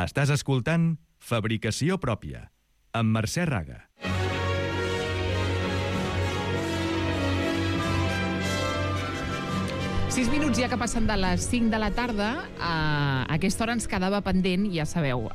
Estàs escoltant Fabricació Pròpia, amb Mercè Raga. Sis minuts ja que passen de les 5 de la tarda. A aquesta hora ens quedava pendent, ja sabeu,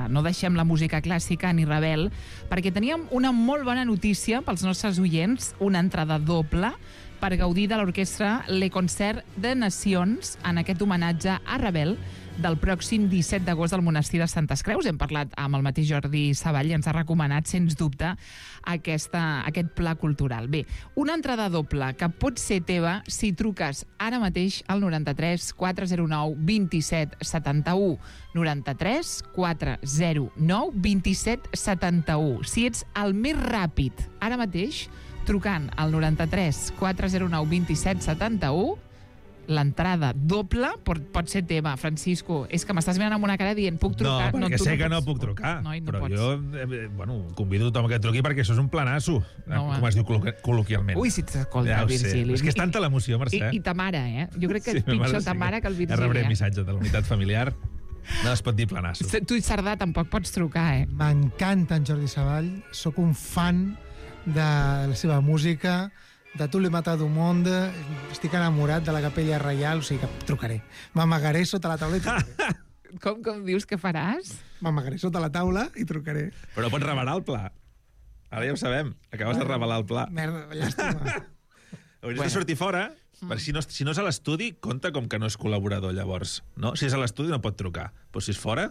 no deixem la música clàssica ni Ravel, perquè teníem una molt bona notícia pels nostres oients, una entrada doble per gaudir de l'orquestra Le Concert de Nacions en aquest homenatge a Ravel del pròxim 17 d'agost al Monestir de Santes Creus. Hem parlat amb el mateix Jordi Savall i ens ha recomanat, sens dubte, aquest pla cultural. Bé, una entrada doble que pot ser teva si truques ara mateix al 93 409 27 71. 93 409 27 71. Si ets el més ràpid ara mateix, trucant al 93 409 27 71, l'entrada doble pot ser teva. Francisco, és que m'estàs mirant amb una cara dient puc trucar? No, perquè sé que no puc trucar. No però pots. jo convido tothom que truqui perquè això és un planasso, com es diu col·loquialment. Ui, si t'escolta, ja Virgili. És que és tanta l'emoció, Mercè. I ta mare, Jo crec que és pitjor ta mare que el Virgili. Rebré missatge de la unitat familiar. No es pot dir planasso. Tu i Cerdà tampoc pots trucar, M'encanta en Jordi Savall. Sóc un fan de la seva música, de Tu l'he matat d'un món, estic enamorat de la Capella Reial, o sigui que trucaré. M'amagaré sota la taula i trucaré. Com dius que faràs? M'amagaré sota la taula i trucaré. Però pots revelar el pla. Ara ja ho sabem. Acabes de revelar el pla. Merda, llàstima. Hauries de sortir fora, perquè si no és a l'estudi, compta com que no és col·laborador, llavors. No? Si és a l'estudi no pot trucar. Però si és fora,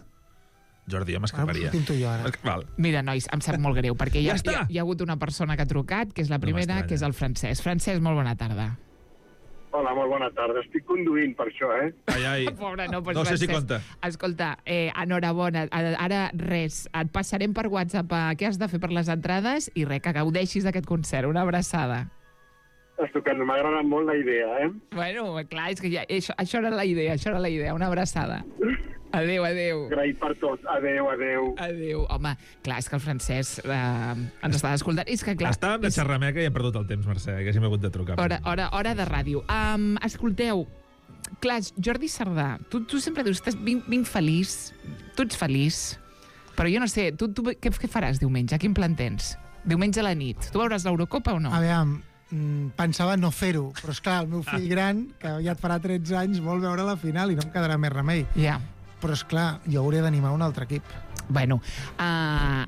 Jordi, jo m'escaparia. Val. Mira, nois, em sap molt greu, perquè Ja hi ha hagut una persona que ha trucat, que és la primera, que és el Francesc. Francesc, molt bona tarda. Hola, molt bona tarda. Estic conduint per això, Ai. Pobre, no sé si compta. Escolta, enhorabona. Ara, res, et passarem per WhatsApp què has de fer per les entrades i res, que gaudeixis d'aquest concert. Una abraçada. Estupendo, m'ha agradat molt la idea, Bueno, clar, és que això era la idea, una abraçada. Adéu. Agraït per tot. Adéu. Adéu. Home, clar, és que el Francesc ens està escoltant. És que, clar... Estava amb la xerrameca i he perdut el temps, Mercè, que hàgim hagut de trucar. Hora de ràdio. Escolteu, clar, Jordi Cerdà, tu sempre dius, vinc feliç, tu ets feliç, però jo no sé, tu què faràs diumenge? Quin plan tens? Diumenge a la nit. Tu veuràs l'Eurocopa o no? A veure, pensava no fer-ho, però esclar, el meu fill gran, que ja et farà 13 anys, vol veure la final i no em quedarà més remei. Ja. Però esclar, jo hauré d'animar un altre equip. Bueno,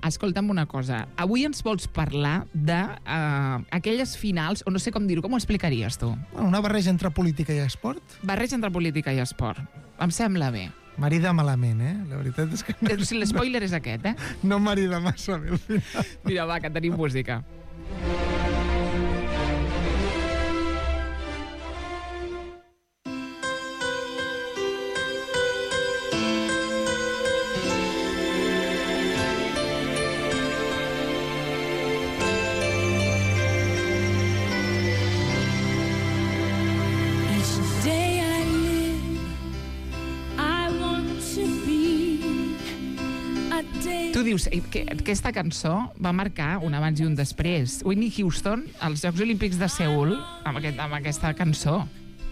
escolta'm una cosa. Avui ens vols parlar d'aquelles finals, o no sé com dir-ho, com ho explicaries tu? Una barreja entre política i esport. Barreja entre política i esport. Em sembla bé. Marida malament, La veritat és que... Si l'espoiler és aquest, No marida massa bé al final. Mira, va, que tenim música. Tu dius que aquesta cançó va marcar un abans i un després. Whitney Houston, als Jocs Olímpics de Seul, amb aquesta cançó.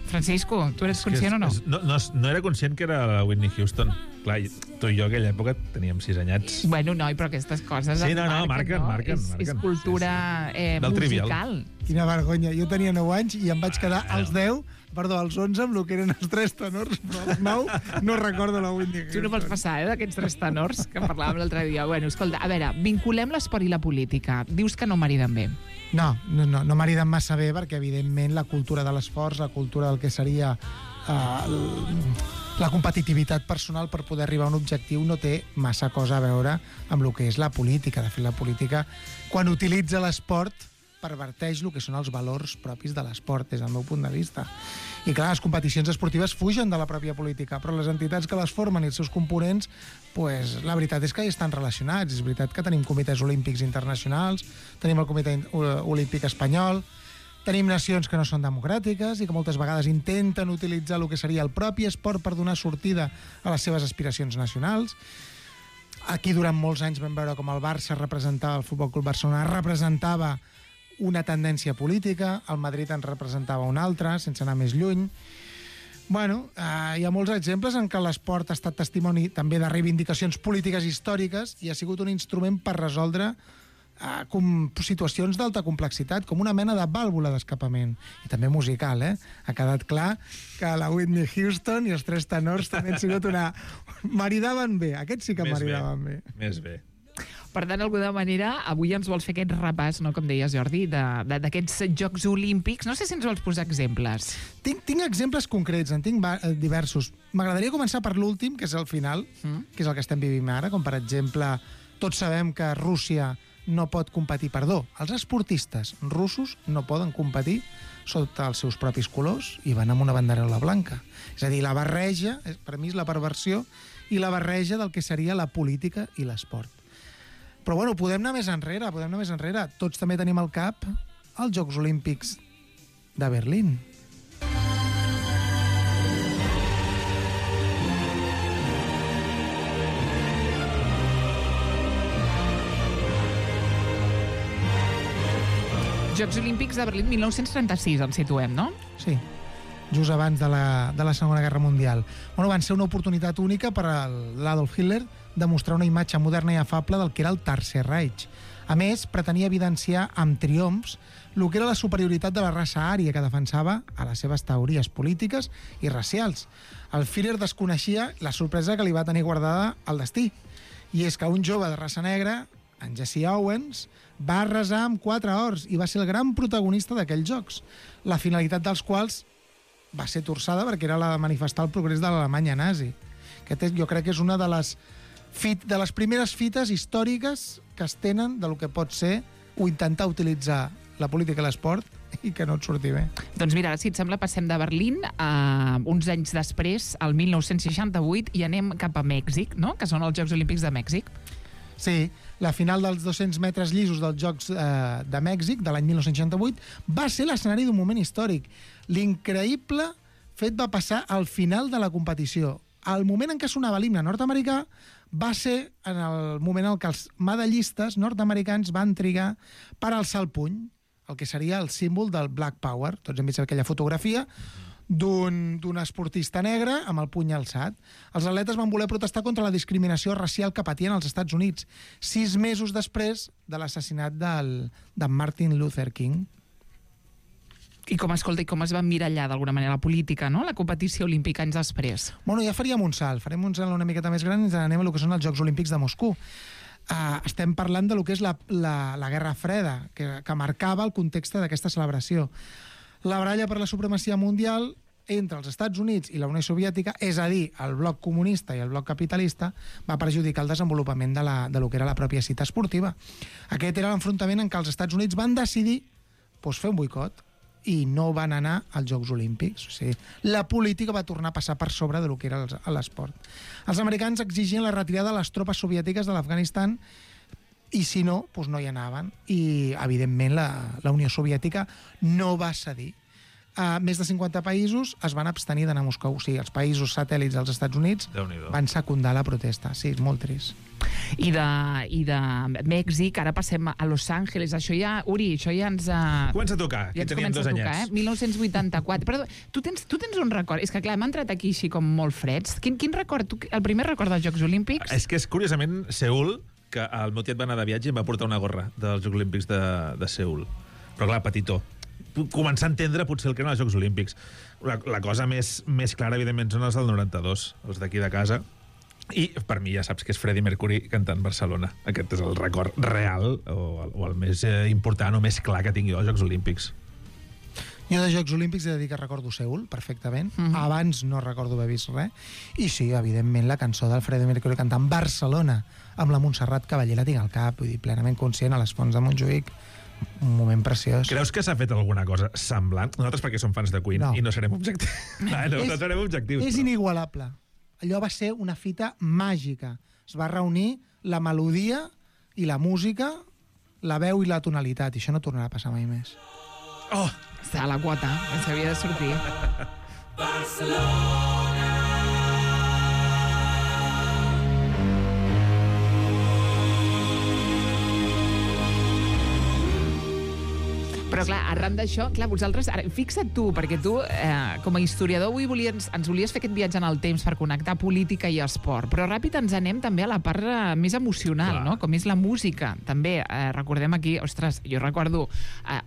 Francisco, tu eres conscient o no? No era conscient que era la Whitney Houston. Clar, tu i jo a aquella època teníem 6 anyats. Bueno, noi, però aquestes coses marquen. És cultura musical. Quina vergonya. Jo tenia 9 anys i em vaig quedar als 11 amb el que eren els 3 tenors, però als 9 no recordo la Whitney Houston. Tu no vols passar, d'aquests 3 tenors que parlàvem l'altre dia. Bueno, escolta, a veure, vinculem l'esport i la política. Dius que no mariden bé. No mariden massa bé perquè, evidentment, la cultura de l'esforç, la cultura del que seria la competitivitat personal per poder arribar a un objectiu no té massa cosa a veure amb el que és la política. De fet, la política, quan utilitza l'esport, perverteix el que són els valors propis de l'esport, des del meu punt de vista. I clar, les competicions esportives fugen de la pròpia política, però les entitats que les formen i els seus components, pues, la veritat és que hi estan relacionats. És veritat que tenim comitès olímpics internacionals, tenim el comitè olímpic espanyol, tenim nacions que no són democràtiques i que moltes vegades intenten utilitzar el que seria el propi esport per donar sortida a les seves aspiracions nacionals. Aquí durant molts anys vam veure com el Barça representava, el Futbol Club Barcelona representava una tendència política, el Madrid en representava una altra, sense anar més lluny. Bueno, hi ha molts exemples en què l'esport ha estat testimoni també de reivindicacions polítiques històriques i ha sigut un instrument per resoldre situacions d'alta complexitat, com una mena de vàlvula d'escapament. I també musical, Ha quedat clar que la Whitney Houston i els Tres Tenors també han sigut una... Maridaven bé, aquests sí que maridaven bé. Més bé. Per tant, d'alguna manera, avui ens vols fer aquest repàs, no, com deies, Jordi, d'aquests Jocs Olímpics. No sé si ens vols posar exemples. Tinc exemples concrets, en tinc diversos. M'agradaria començar per l'últim, que és el final, que és el que estem vivint ara, com per exemple, tots sabem que Rússia no pot competir, els esportistes russos no poden competir sota els seus propis colors i van amb una banderola blanca. És a dir, la barreja, per mi és la perversió, i la barreja del que seria la política i l'esport. Però bueno, podem anar més enrere. Tots també tenim al cap els Jocs Olímpics de Berlín. Jocs Olímpics de Berlín 1936, ens situem, no? Sí, just abans de la Segona Guerra Mundial. Bueno, van ser una oportunitat única per a l'Adolf Hitler de mostrar una imatge moderna i afable del que era el Tercer Reich. A més, pretenia evidenciar amb triomfs el que era la superioritat de la raça ària que defensava a les seves teories polítiques i racials. El Führer desconeixia la sorpresa que li va tenir guardada al destí. I és que un jove de raça negra, en Jesse Owens, va arrasar amb 4 ors i va ser el gran protagonista d'aquells jocs, la finalitat dels quals va ser torçada perquè era la de manifestar el progrés de l'Alemanya nazi. Jo crec que és una de les primeres fites històriques que es tenen del que pot ser o intentar utilitzar la política i l'esport i que no et surti bé. Doncs mira, si et sembla, passem de Berlín uns anys després, al 1968, i anem cap a Mèxic, no? Que són els Jocs Olímpics de Mèxic. Sí, la final dels 200 metres llisos dels Jocs de Mèxic, de l'any 1968, va ser l'escenari d'un moment històric. L'increïble fet va passar al final de la competició. Al moment en què sonava l'himne nord-americà va ser en el moment en què els medallistes nord-americans van trigar per alçar el puny, el que seria el símbol del Black Power. Tots hem vist aquella fotografia d'un esportista negre amb el puny alçat. Els atletes van voler protestar contra la discriminació racial que patien als Estats Units, 6 mesos després de l'assassinat de Martin Luther King. I com es va emmirallar d'alguna manera la política, no? La competició olímpica anys després. Bueno, ja farem un salt una miqueta més gran i ens anem a lo que són els Jocs Olímpics de Moscou. Estem parlant de lo que és la Guerra Freda, que marcava el context d'aquesta celebració. La baralla per la supremacia mundial entre els Estats Units i la Unió Soviètica, és a dir, el bloc comunista i el bloc capitalista, va perjudicar el desenvolupament de lo que era la pròpia cita esportiva. Aquest era l'enfrontament en què els Estats Units van decidir fer un boicot i no van anar als Jocs Olímpics. O sigui, la política va tornar a passar per sobre de lo que era l'esport. Els americans exigien la retirada de les tropes soviètiques de l'Afganistan i si no, no hi anaven. I, evidentment, la Unió Soviètica no va cedir. Més de 50 països es van abstenir d'anar a Moscou. O sigui, els països satèl·lits dels Estats Units van secundar la protesta. Sí, és molt trist. I de Mèxic, ara passem a Los Angeles. Això ja, Uri, això ja ens... Comença a tocar, que teníem 2 anyets. 1984. Però tu tens un record... És que, clar, hem entrat aquí així com molt freds. Quin record? El primer record dels Jocs Olímpics? És que és, curiosament, Seül, que el meu tiet va anar de viatge i em va portar una gorra dels Jocs Olímpics de Seül. Però, clar, petitó. Començar a entendre potser el que eren els Jocs Olímpics. La cosa més clara, evidentment, són els del 92, els d'aquí de casa. I per mi ja saps que és Freddie Mercury cantant Barcelona. Aquest és el record real o el més important o més clar que tingui als Jocs Olímpics. Jo de Jocs Olímpics he de dir que recordo Seül, perfectament. Abans no recordo haver vist res. I sí, evidentment, la cançó del Freddie Mercury cantant Barcelona amb la Montserrat Cavaller la tinc al cap, vull dir, plenament conscient, a les Fonts de Montjuïc. Un moment preciós. Creus que s'ha fet alguna cosa semblant? Nosaltres perquè som fans de Queen i no serem objectius. No serem objectius. És inigualable. Allò va ser una fita màgica. Es va reunir la melodia i la música, la veu i la tonalitat, i això no tornarà a passar mai més. Oh! Està a la quota, ens havia de sortir. Barcelona. Però Però clar, arran d'això, clar, vosaltres, ara, fixa't tu, perquè tu, com a historiador, avui ens volies fer aquest viatge en el temps per connectar política i esport, però ràpid ens anem també a la part més emocional, Clar. no? Com és la música. També, recordem aquí, ostres, jo recordo,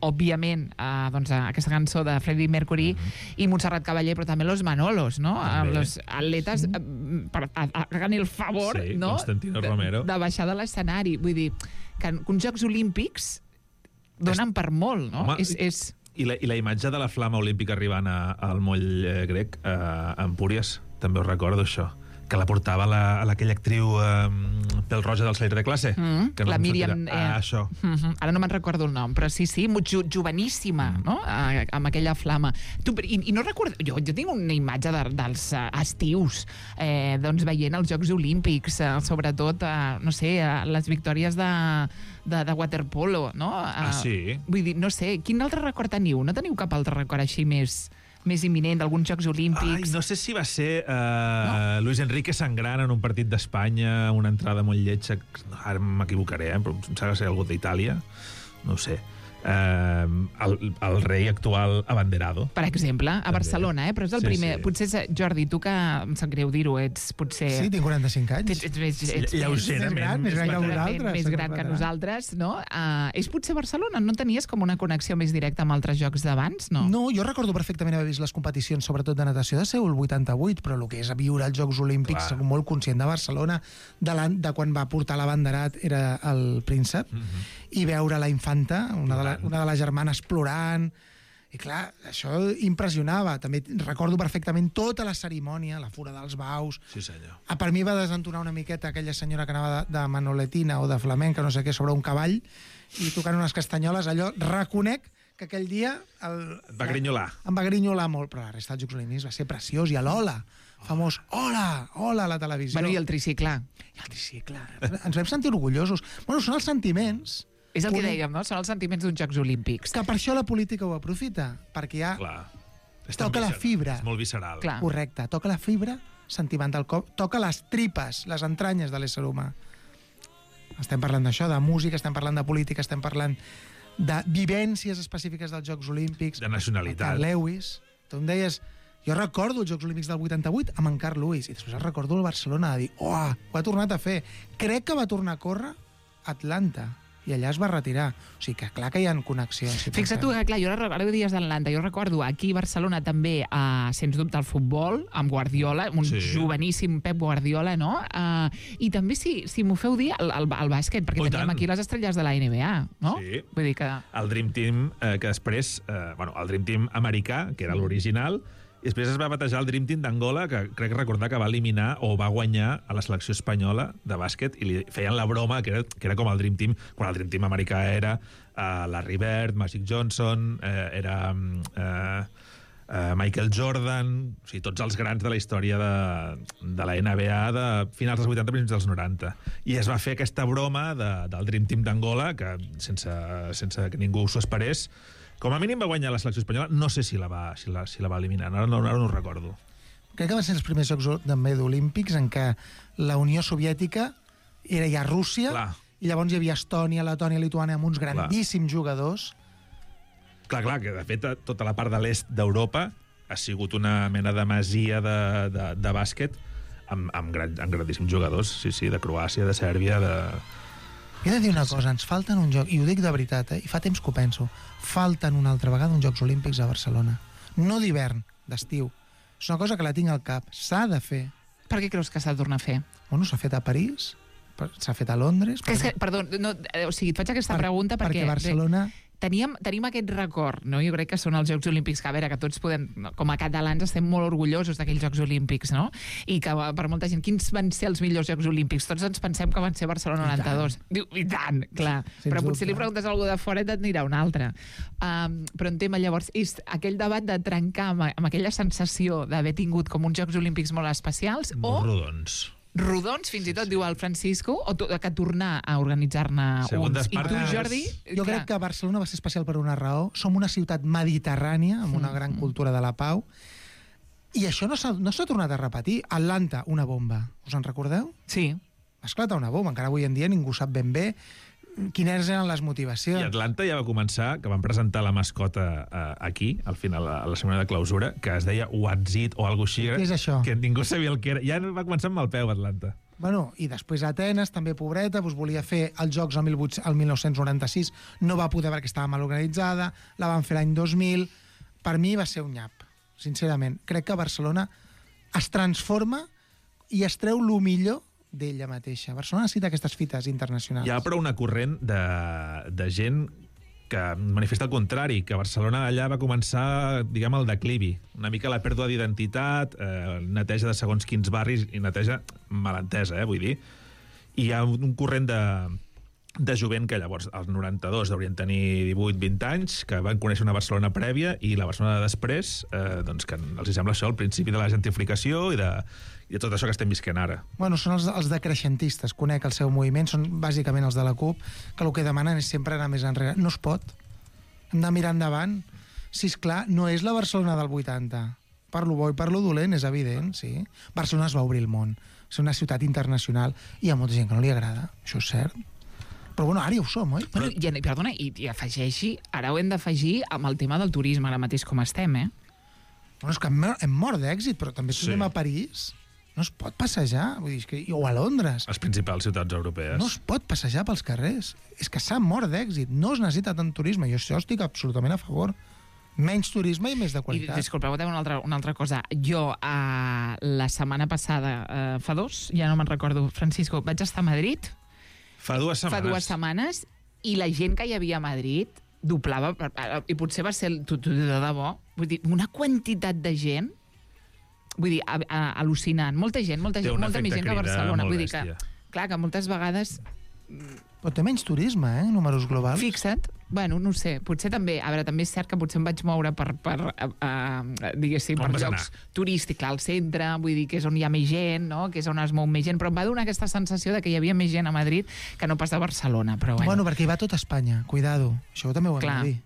òbviament, doncs, aquesta cançó de Freddie Mercury i Montserrat Caballé, però també Los Manolos, no? També. Los atletes, hagan el favor, Sí, no? Constantino Romero. De baixar de l'escenari. Vull dir, que uns Jocs Olímpics donen per molt, no? Home, És... I la imatge de la flama olímpica arribant al moll grec, a Empúries, també ho recordo, això, que la portava aquella actriu pèl roja del salir de classe. Que no la em Míriam... sortirà. Això. Ara no me'n recordo el nom, però sí, joveníssima, no? Amb aquella flama. Tu, i no recordo... Jo tinc una imatge dels estius, doncs veient els Jocs Olímpics, sobretot, no sé, les victòries de waterpolo, no? Sí? Vull dir, no sé, quin altre record teniu? No teniu cap altre record així més imminent d'alguns Jocs Olímpics? Ai, no sé si va ser Luis Enrique sangrant en un partit d'Espanya, una entrada molt lletja, ara m'equivocaré, però em sembla que ser algú d'Itàlia, no ho sé. El rei actual abanderado. Per exemple, a Barcelona, però és el primer... Sí. Potser, Jordi, tu que em sap greu dir-ho, ets potser... Sí, tinc 45 anys. Ets Lleugerament. més gran que vosaltres. Més gran que nosaltres, no? És potser Barcelona? No tenies com una connexió més directa amb altres jocs d'abans, no? No, jo recordo perfectament haver vist les competicions, sobretot de natació de Seul 88, però el que és viure els Jocs Olímpics, soc molt conscient de Barcelona, de quan va portar l'abanderat era el príncep, i veure la infanta, una de les germanes plorant, i clar, això impressionava. També recordo perfectament tota la cerimònia, la fura dels baus. Sí, senyor. Per mi va desentonar una miqueta aquella senyora que anava de manoletina o de flamenca, no sé què, sobre un cavall, i tocant unes castanyoles. Allò, reconec que aquell dia... Et va grinyolar. Em va grinyolar molt, però la resta dels Jocs Olímpics va ser preciós. I l'Ola, famós Hola a la televisió. Bueno, i el tricicle. I el tricicle. Ens vam sentir orgullosos. Bueno, són els sentiments... És el que dèiem, no? Són els sentiments d'uns Jocs Olímpics. Que per això la política ho aprofita, perquè ja Clar. toca la fibra. És molt visceral. Clar. Correcte, toca la fibra sentimental, toca les tripes, les entranyes de l'ésser humà. Estem parlant d'això, de música, estem parlant de política, estem parlant de vivències específiques dels Jocs Olímpics. De nacionalitat. Carl Lewis. Tu em deies... Jo recordo els Jocs Olímpics del 88 amb en Carl Lewis, i després recordo el Barcelona de dir, ho ha tornat a fer. Crec que va tornar a córrer a Atlanta, i allà es va retirar. O sigui que clar que hi ha connexions. Si Fixa't tu que, clar, jo ara dies d'Atlanta, jo recordo aquí a Barcelona també, sens dubte, el futbol, amb Guardiola, un joveníssim Pep Guardiola, no? I també, si m'ho feu dir, el bàsquet, perquè teníem aquí les estrelles de la NBA, no? Sí. Vull dir que... El Dream Team, que després... el Dream Team americà, que era l'original, i després es va batejar el Dream Team d'Angola, que crec recordar que va eliminar o va guanyar a la selecció espanyola de bàsquet, i li feien la broma que era com el Dream Team, quan el Dream Team americà era Larry Bird, Magic Johnson, era Michael Jordan, o sigui, tots els grans de la història de la NBA de finals dels 80, principis dels 90. I es va fer aquesta broma del Dream Team d'Angola, que sense que ningú s'ho esperés, com a mínim va guanyar la selecció espanyola, no sé si la va eliminar, ara no ho recordo. Crec que van ser els primers Jocs també olímpics en què la Unió Soviètica era ja Rússia, Clar. i llavors hi havia Estònia, Letònia, Lituània, amb uns grandíssims jugadors. Clar, que de fet tota la part de l'est d'Europa ha sigut una mena de masia de bàsquet amb grandíssims jugadors, sí, de Croàcia, de Sèrbia, de... He de dir una cosa, ens falten un joc, i ho dic de veritat, i fa temps que ho penso, falten una altra vegada uns Jocs Olímpics a Barcelona. No d'hivern, d'estiu. És una cosa que la tinc al cap. S'ha de fer. Per què creus que s'ha de tornar a fer? Bueno, s'ha fet a París, s'ha fet a Londres... Perdó, o sigui, et faig aquesta pregunta perquè Barcelona... Tenim aquest record, no? Jo crec que són els Jocs Olímpics, que a veure, que tots podem, com a catalans, estem molt orgullosos d'aquells Jocs Olímpics, no? I que per molta gent, quins van ser els millors Jocs Olímpics? Tots ens pensem que van ser Barcelona 92. Diu, i tant, clar. Però potser li preguntes a algú de fora i et dirà un altre. Però en tema, llavors, és aquell debat de trencar amb aquella sensació d'haver tingut com uns Jocs Olímpics molt especials, molt rodons, fins i tot, diu el Francisco, o que tornar a organitzar-ne uns. I tu, Jordi... Jo crec que Barcelona va ser especial per una raó. Som una ciutat mediterrània, amb una gran cultura de la pau, i això no s'ha tornat a repetir. Atlanta, una bomba. Us en recordeu? Sí. Va esclatar una bomba. Encara avui en dia ningú sap ben bé quines eren les I motivacions. Atlanta ja va començar, que van presentar la mascota aquí, al final, a la setmana de clausura, que es deia What's It o alguna cosa així. Què és això? Que ningú sabia el que era. Ja va començar amb el peu, Atlanta. Bueno, i després Atenes, també pobreta, doncs volia fer els Jocs el 1996, no va poder perquè estava mal organitzada, la van fer l'any 2000. Per mi va ser un nyap, sincerament. Crec que Barcelona es transforma i es treu el millor d'ella mateixa. Barcelona necessita aquestes fites internacionals. Hi ha però una corrent de gent que manifesta el contrari, que Barcelona allà va començar, diguem, el declivi. Una mica la pèrdua d'identitat, neteja de segons quins barris, i neteja malentesa, vull dir. I hi ha un corrent de jovent que llavors, als 92, haurien tenir 18-20 anys, que van conèixer una Barcelona prèvia i la Barcelona de després, doncs que els sembla això el principi de la gentrificació i de tot això que estem visquent ara. Bueno, són els decreixentistes, conec el seu moviment, són bàsicament els de la CUP, que el que demanen és sempre anar més enrere. No es pot. Hem de mirar endavant. Si és clar, no és la Barcelona del 80. Per lo bo i per lo dolent, és evident, sí. Barcelona es va obrir el món. És una ciutat internacional i hi ha molta gent que no li agrada, això és cert. Però bueno, ara ja ho som, oi? Bueno, perdona, i afegeixi, ara ho hem d'afegir amb el tema del turisme, ara mateix com estem, Bueno, és que hem mort d'èxit, però també si anem a París, no es pot passejar, vull dir, o a Londres. Les principals ciutats europees. No es pot passejar pels carrers. És que s'ha mort d'èxit. No es necessita tant turisme. Jo això estic absolutament a favor. Menys turisme i més de qualitat. Disculpeu, una altra cosa. Jo, la setmana passada, fa 2, ja no me'n recordo, Francisco, vaig estar a Madrid. Fa 2 setmanes. Fa 2 setmanes, i la gent que hi havia a Madrid doblava, i potser va ser de debò, vull dir, una quantitat de gent, vull dir, al·lucinant. Molta gent, molta més gent que a Barcelona. Vull dir que, clar, que moltes vegades... Però té menys turisme, números globals. Fixa't. Bueno, no ho sé. Potser també... A veure, també és cert que potser em vaig moure per diguéssim, per llocs turístics, al centre, vull dir que és on hi ha més gent, no? Que és on es mou més gent, però em va donar aquesta sensació de que hi havia més gent a Madrid que no pas a Barcelona, però bueno. Bueno, perquè hi va tot Espanya, cuidado. Això també ho hem de dir.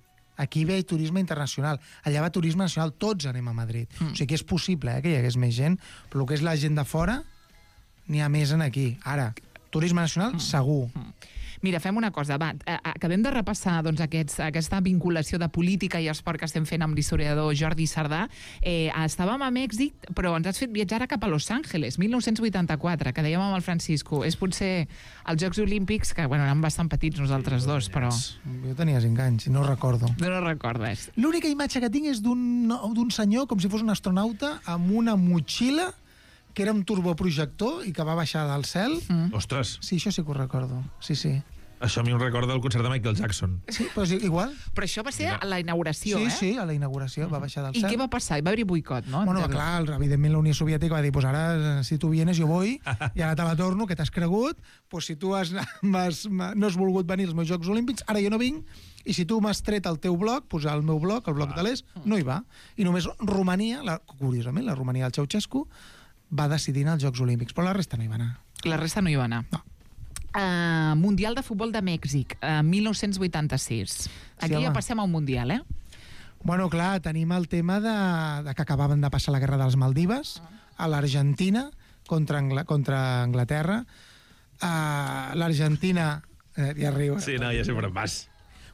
Aquí ve turisme internacional, allà va turisme nacional, tots anem a Madrid. O sigui que és possible que hi hagués més gent, però el que és la gent de fora, n'hi ha més en aquí. Ara, turisme nacional, segur. Mira, fem una cosa, va, acabem de repassar doncs, aquesta vinculació de política i esport que estem fent amb l'historiador Jordi Sardà. Estàvem a Mèxic, però ens has fet viatjar cap a Los Angeles, 1984, que dèiem amb el Francisco. És potser els Jocs Olímpics, que bueno, eren bastant petits nosaltres dos, però... Jo tenia 5 anys i no recordo. No recordes. L'única imatge que tinc és d'un senyor com si fos un astronauta amb una motxilla que era un turboprojector i que va baixar del cel. Ostres! Sí, això sí que ho recordo. Sí. Això a mi em recorda el concert de Michael Jackson. Sí, però és igual. Però això va ser a la inauguració, Sí, a la inauguració, va baixar del cel. I què va passar? Va haver-hi boicot, no? Bueno, clar, evidentment la Unió Soviètica va dir, pues ara, si tu vienes, jo voy, i ara te la torno, que t'has cregut, pues si tu no has volgut venir als meus Jocs Olímpics, ara jo no vinc, i si tu m'has tret el teu bloc, pues el meu bloc, el bloc de l'Est, no hi va. I només Romania, curiosament, la Romania del Ceausescu, va decidir anar als Jocs Olímpics, però la resta no hi va anar. La resta no hi va anar. No. Mundial de Futbol de Mèxic, 1986. Aquí ja passem a un Mundial, Bueno, clar, tenim el tema de que acabaven de passar la guerra dels Maldives, a l'Argentina, contra Anglaterra. L'Argentina... ja riu. Sí, no, ja sempre vas.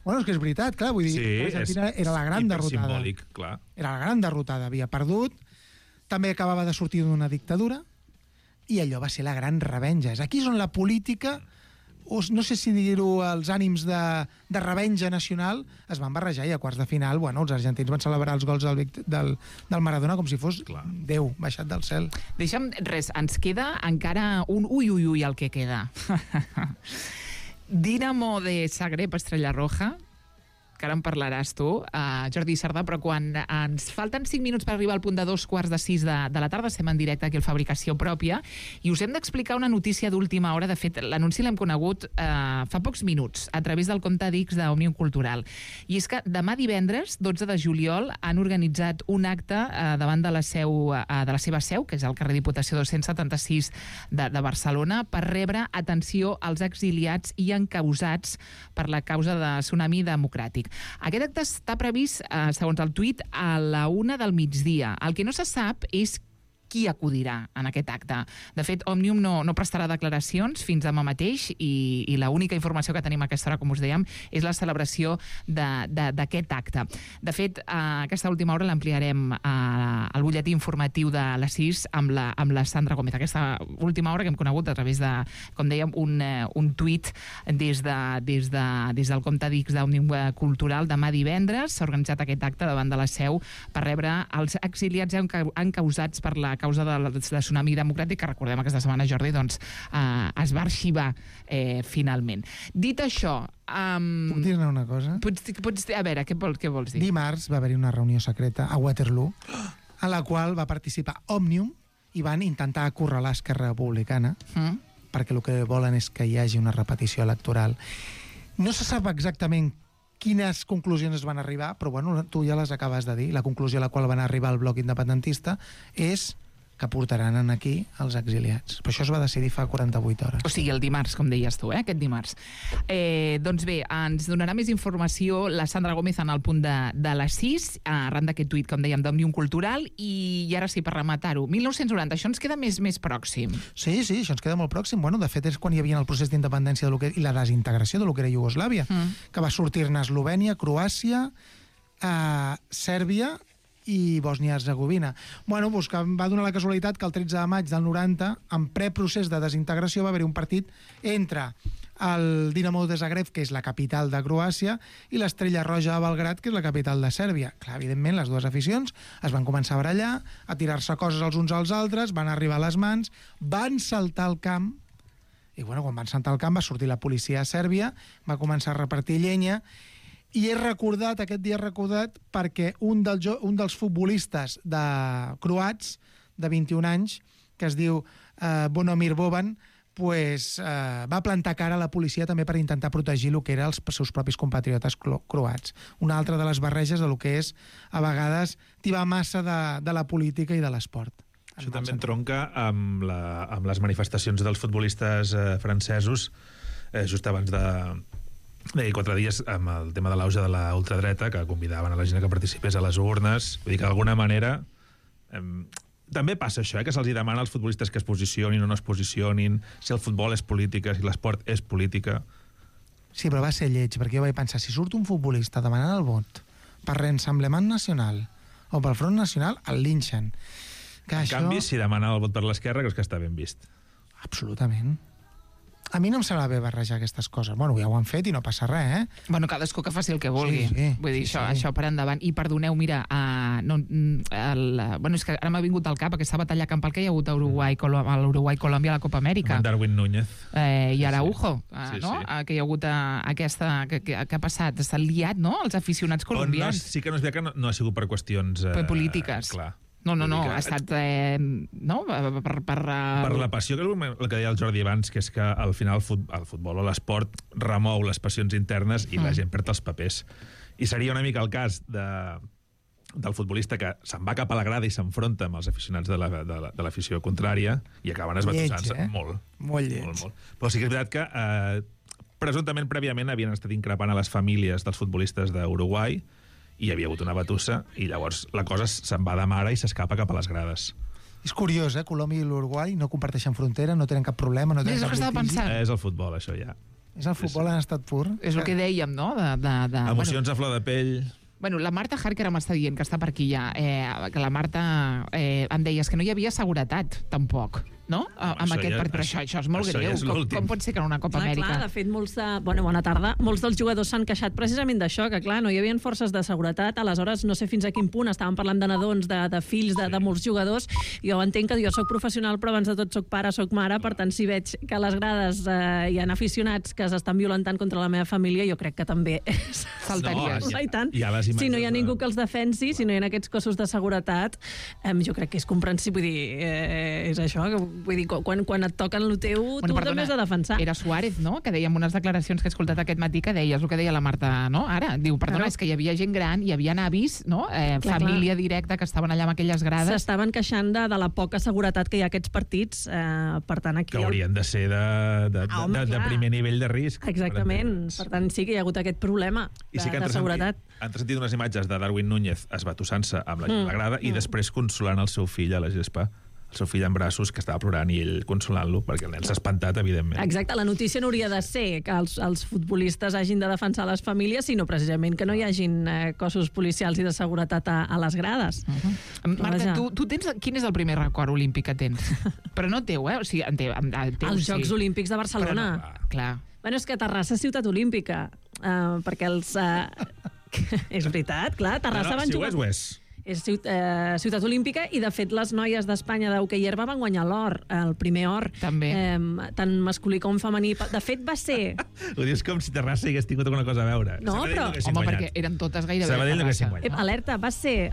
Bueno, és que és veritat, clar, vull dir, l'Argentina era la gran derrotada. Simbòlic, clar. Era la gran derrotada, havia perdut, també acabava de sortir d'una dictadura, i allò va ser la gran revenja. Aquí és on la política, no sé si dir-ho, els ànims de revenja nacional es van barrejar, i a quarts de final, bueno, els argentins van celebrar els gols del Maradona com si fos Déu baixat del cel. Deixa'm, ens queda encara un ui el que queda. Dinamo de Zagreb, Estrella Roja, que ara en parlaràs tu, Jordi Sardà, però quan ens falten 5 minuts per arribar al punt de 2:45 de la tarda, estem en directe aquí al Fabricació Pròpia, i us hem d'explicar una notícia d'última hora. De fet, l'anunci l'hem conegut fa pocs minuts, a través del compte d'X d'Òmnium Cultural. I és que demà divendres, 12 de juliol, han organitzat un acte davant de la seva seu, que és al carrer Diputació 276 de Barcelona, per rebre atenció als exiliats i encausats per la causa de Tsunami Democràtic. Aquest acte està previst, segons el tuit, a la 1 del migdia. El que no se sap és qui acudirà en aquest acte. De fet, Òmnium no prestarà declaracions fins demà mateix i l'única informació que tenim a aquesta hora, com us dèiem, és la celebració d'aquest acte. De fet, aquesta última hora l'ampliarem al butlletí informatiu de les 6 amb la Sandra Gómez. Aquesta última hora que hem conegut a través de, com dèiem, un tuit des del compte d'X d'Òmnium Cultural. Demà divendres s'ha organitzat aquest acte davant de la Seu per rebre els exiliats encausats per la causa del tsunami democràtic, que recordem aquesta setmana, Jordi, doncs es va arxivar finalment. Dit això... Puc dir-ne una cosa? A veure, què vols dir? Dimarts va haver-hi una reunió secreta a Waterloo en la qual va participar Òmnium i van intentar acorralar Esquerra Republicana perquè el que volen és que hi hagi una repetició electoral. No se sap exactament quines conclusions es van arribar, però bueno, tu ja les acabes de dir. La conclusió a la qual van arribar el bloc independentista és que portaran aquí els exiliats. Però això es va decidir fa 48 hores. O sigui, el dimarts, com deies tu, aquest dimarts. Doncs bé, ens donarà més informació la Sandra Gómez en el punt de les 6, arran d'aquest tuit, com dèiem, d'Òmnium Cultural, i ara sí, per rematar-ho, 1990, això ens queda més pròxim. Sí, això ens queda molt pròxim. Bueno, de fet, és quan hi havia el procés d'independència i la desintegració de lo que era Iugoslàvia, que va sortir-ne Eslovènia, Croàcia, Sèrbia i Bòsnia-Hercegovina. Bueno, doncs que va donar la casualitat que el 13 de maig del 90, en preprocés de desintegració, va haver-hi un partit entre el Dinamo de Zagreb, que és la capital de Croàcia, i l'Estrella Roja de Belgrad, que és la capital de Sèrbia. Clar, evidentment, les dues aficions es van començar a barallar, a tirar-se coses els uns als altres, van arribar a les mans, van saltar al camp, i bueno, quan van saltar al camp va sortir la policia a Sèrbia, va començar a repartir llenya, i aquest dia he recordat perquè un dels futbolistes croats de 21 anys, que es diu Bonomir Boban, va plantar cara a la policia també per intentar protegir el que eren els seus propis compatriotes croats. Una altra de les barreges de lo que és, a vegades, tibar massa de la política i de l'esport. Això també entronca amb les manifestacions dels futbolistes francesos just abans de 4 dies amb el tema de l'auge de la ultradreta, que convidaven a la gent que participés a les urnes. Vull dir que d'alguna manera també passa això, que se'ls demana als futbolistes que es posicionin o no es posicionin, si el futbol és política, si l'esport és política. Sí, però va ser lleig, perquè jo vaig pensar, si surt un futbolista demanant el vot per Rassemblement Nacional o pel Front Nacional, el linxen. En canvi, si demana el vot per l'esquerra, creus que està ben vist? Absolutament. A mi no em sembla bé barrejar aquestes coses. Bueno, ja ho han fet i no passa res, Bueno, cadascú que faci el que vulgui. Vull dir, això per endavant. I perdoneu, mira, és que ara m'ha vingut al cap aquesta batalla campal que hi ha hagut a l'Uruguai-Colòmbia a la Copa Amèrica. Amb Darwin Núñez. I Araujo, no? Que hi ha hagut aquesta... Què ha passat? S'ha liat, no?, els aficionats colombians. Sí que no es veu que no ha sigut per qüestions... polítiques. Clar. No, ha estat per la passió, que és el que deia el Jordi abans, que és que al final el futbol o l'esport remou les passions internes i la gent perd els papers. I seria una mica el cas del futbolista que se'n va cap a la grada i s'enfronta amb els aficionats de l'afició contrària i acaben esbatussant-se molt. Molt lleig. Molt. Però sí que és veritat que presumptament prèviament havien estat increpant a les famílies dels futbolistes d'Uruguai i hi havia hagut una batussa i llavors la cosa se'n va de mare i s'escapa cap a les grades. És curiós, Colòmbia i l'Uruguai no comparteixen frontera, no tenen cap problema, no tenen cap litigi. És el futbol, això ja. És el futbol en estat pur. És el que dèiem, no? Emocions a flor de pell. Bueno, la Marta Harker m'està dient, que està per aquí ja, que la Marta em deies que no hi havia seguretat, tampoc, no? Amb aquest partit, però això és molt greu. Com pot ser que en una Copa Amèrica... Clar, de fet, bona tarda, molts dels jugadors s'han queixat precisament d'això, que clar, no hi havia forces de seguretat, aleshores no sé fins a quin punt, estàvem parlant de nadons, de fills, de molts jugadors, jo entenc que jo soc professional, però abans de tot soc pare, soc mare, per tant, si veig que a les grades hi ha aficionats que s'estan violentant contra la meva família, jo crec que també saltaries. I tant. Si no hi ha ningú que els defensi, si no hi ha aquests cossos de seguretat, jo crec que és comprensible, vull dir, és això, vull dir, quan et toquen el teu, tu també has de defensar. Era Suárez, no?, que dèiem unes declaracions que he escoltat aquest matí que deies el que deia la Marta, no?, ara, diu, perdona, és que hi havia gent gran, hi havia avis, no?, família directa que estaven allà amb aquelles grades. S'estaven queixant de la poca seguretat que hi ha a aquests partits, per tant, aquí... Que haurien de ser de primer nivell de risc. Exactament, per tant, sí que hi ha hagut aquest problema de seguretat. Han sentit unes imatges de Darwin Núñez esbatussant-se amb la grada i després consolant el seu fill a la gespa. el seu fill en braços, que estava plorant, i ell consolant-lo, perquè el nen s'ha espantat, evidentment. Exacte, la notícia no hauria de ser que els futbolistes hagin de defensar les famílies, sinó precisament que no hi hagin cossos policials i de seguretat a les grades. Marta, tu tens... Quin és el primer record olímpic que tens? Però no teu, O sigui, teu, els Jocs Olímpics de Barcelona. Però clar. Bueno, és que Terrassa és ciutat olímpica, perquè els... és veritat, clar, Terrassa van jugar... Si ho és. És ciutat olímpica i, de fet, les noies d'Espanya d'hoquei herba van guanyar l'or, el primer or. També. Tant masculí com femení. De fet, va ser... Ho dius com si Terrassa hagués tingut alguna cosa a veure. No, però... Home, perquè eren totes gairebé Sabadell no haguessin Terrassa. guanyat. Alerta, va ser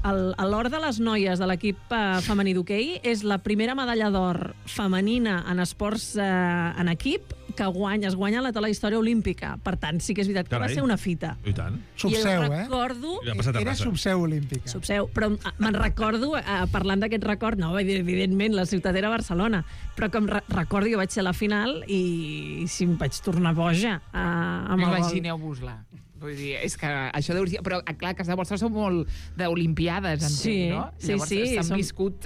l'or de les noies de l'equip femení d'hoquei, és la primera medalla d'or femenina en esports en equip que es guanya a la història olímpica. Per tant, sí que és veritat que va ser una fita. I tant. Subseu, I recordo... Era subseu olímpica. Subseu, però me'n recordo, parlant d'aquest record, no, evidentment, la ciutat era Barcelona, però que recordo, jo vaig ser a la final i sí, em vaig tornar boja amb el gol. Imagineu-vos-la. Vull dir, és que això deu ser... Però, clar, a casa vostra són molt d'olimpiades, entenc, no? Llavors, s'han viscut...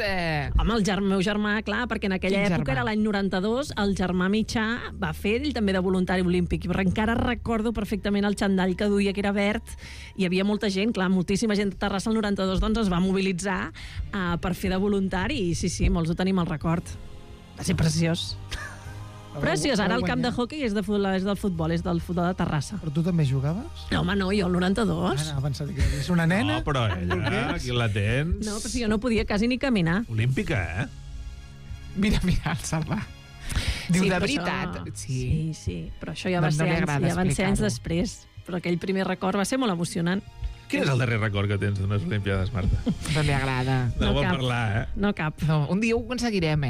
Home, el meu germà, clar, perquè en aquella època era l'any 92, el germà mitjà va fer ell també de voluntari olímpic. I encara recordo perfectament el xandall que duia, que era verd. Hi havia molta gent, clar, moltíssima gent de Terrassa el 92, doncs es va mobilitzar per fer de voluntari. I sí, molts ho tenim al record. Va ser preciós. Preciós, ara el camp de hoquei és del futbol de Terrassa. Però tu també jugaves? No, home, no, jo el 92. Anava pensant que és una nena. No, però ella, aquí la tens... No, però si jo no podia quasi ni caminar. Olímpica, Mira, el Salva. Diu, de veritat. Sí, però això ja van ser anys després. Però aquell primer record va ser molt emocionant. Quin és el darrer record que tens d'unes Olimpiades, Marta? No li agrada. No vol parlar, No cap. No, un dia ho aconseguirem,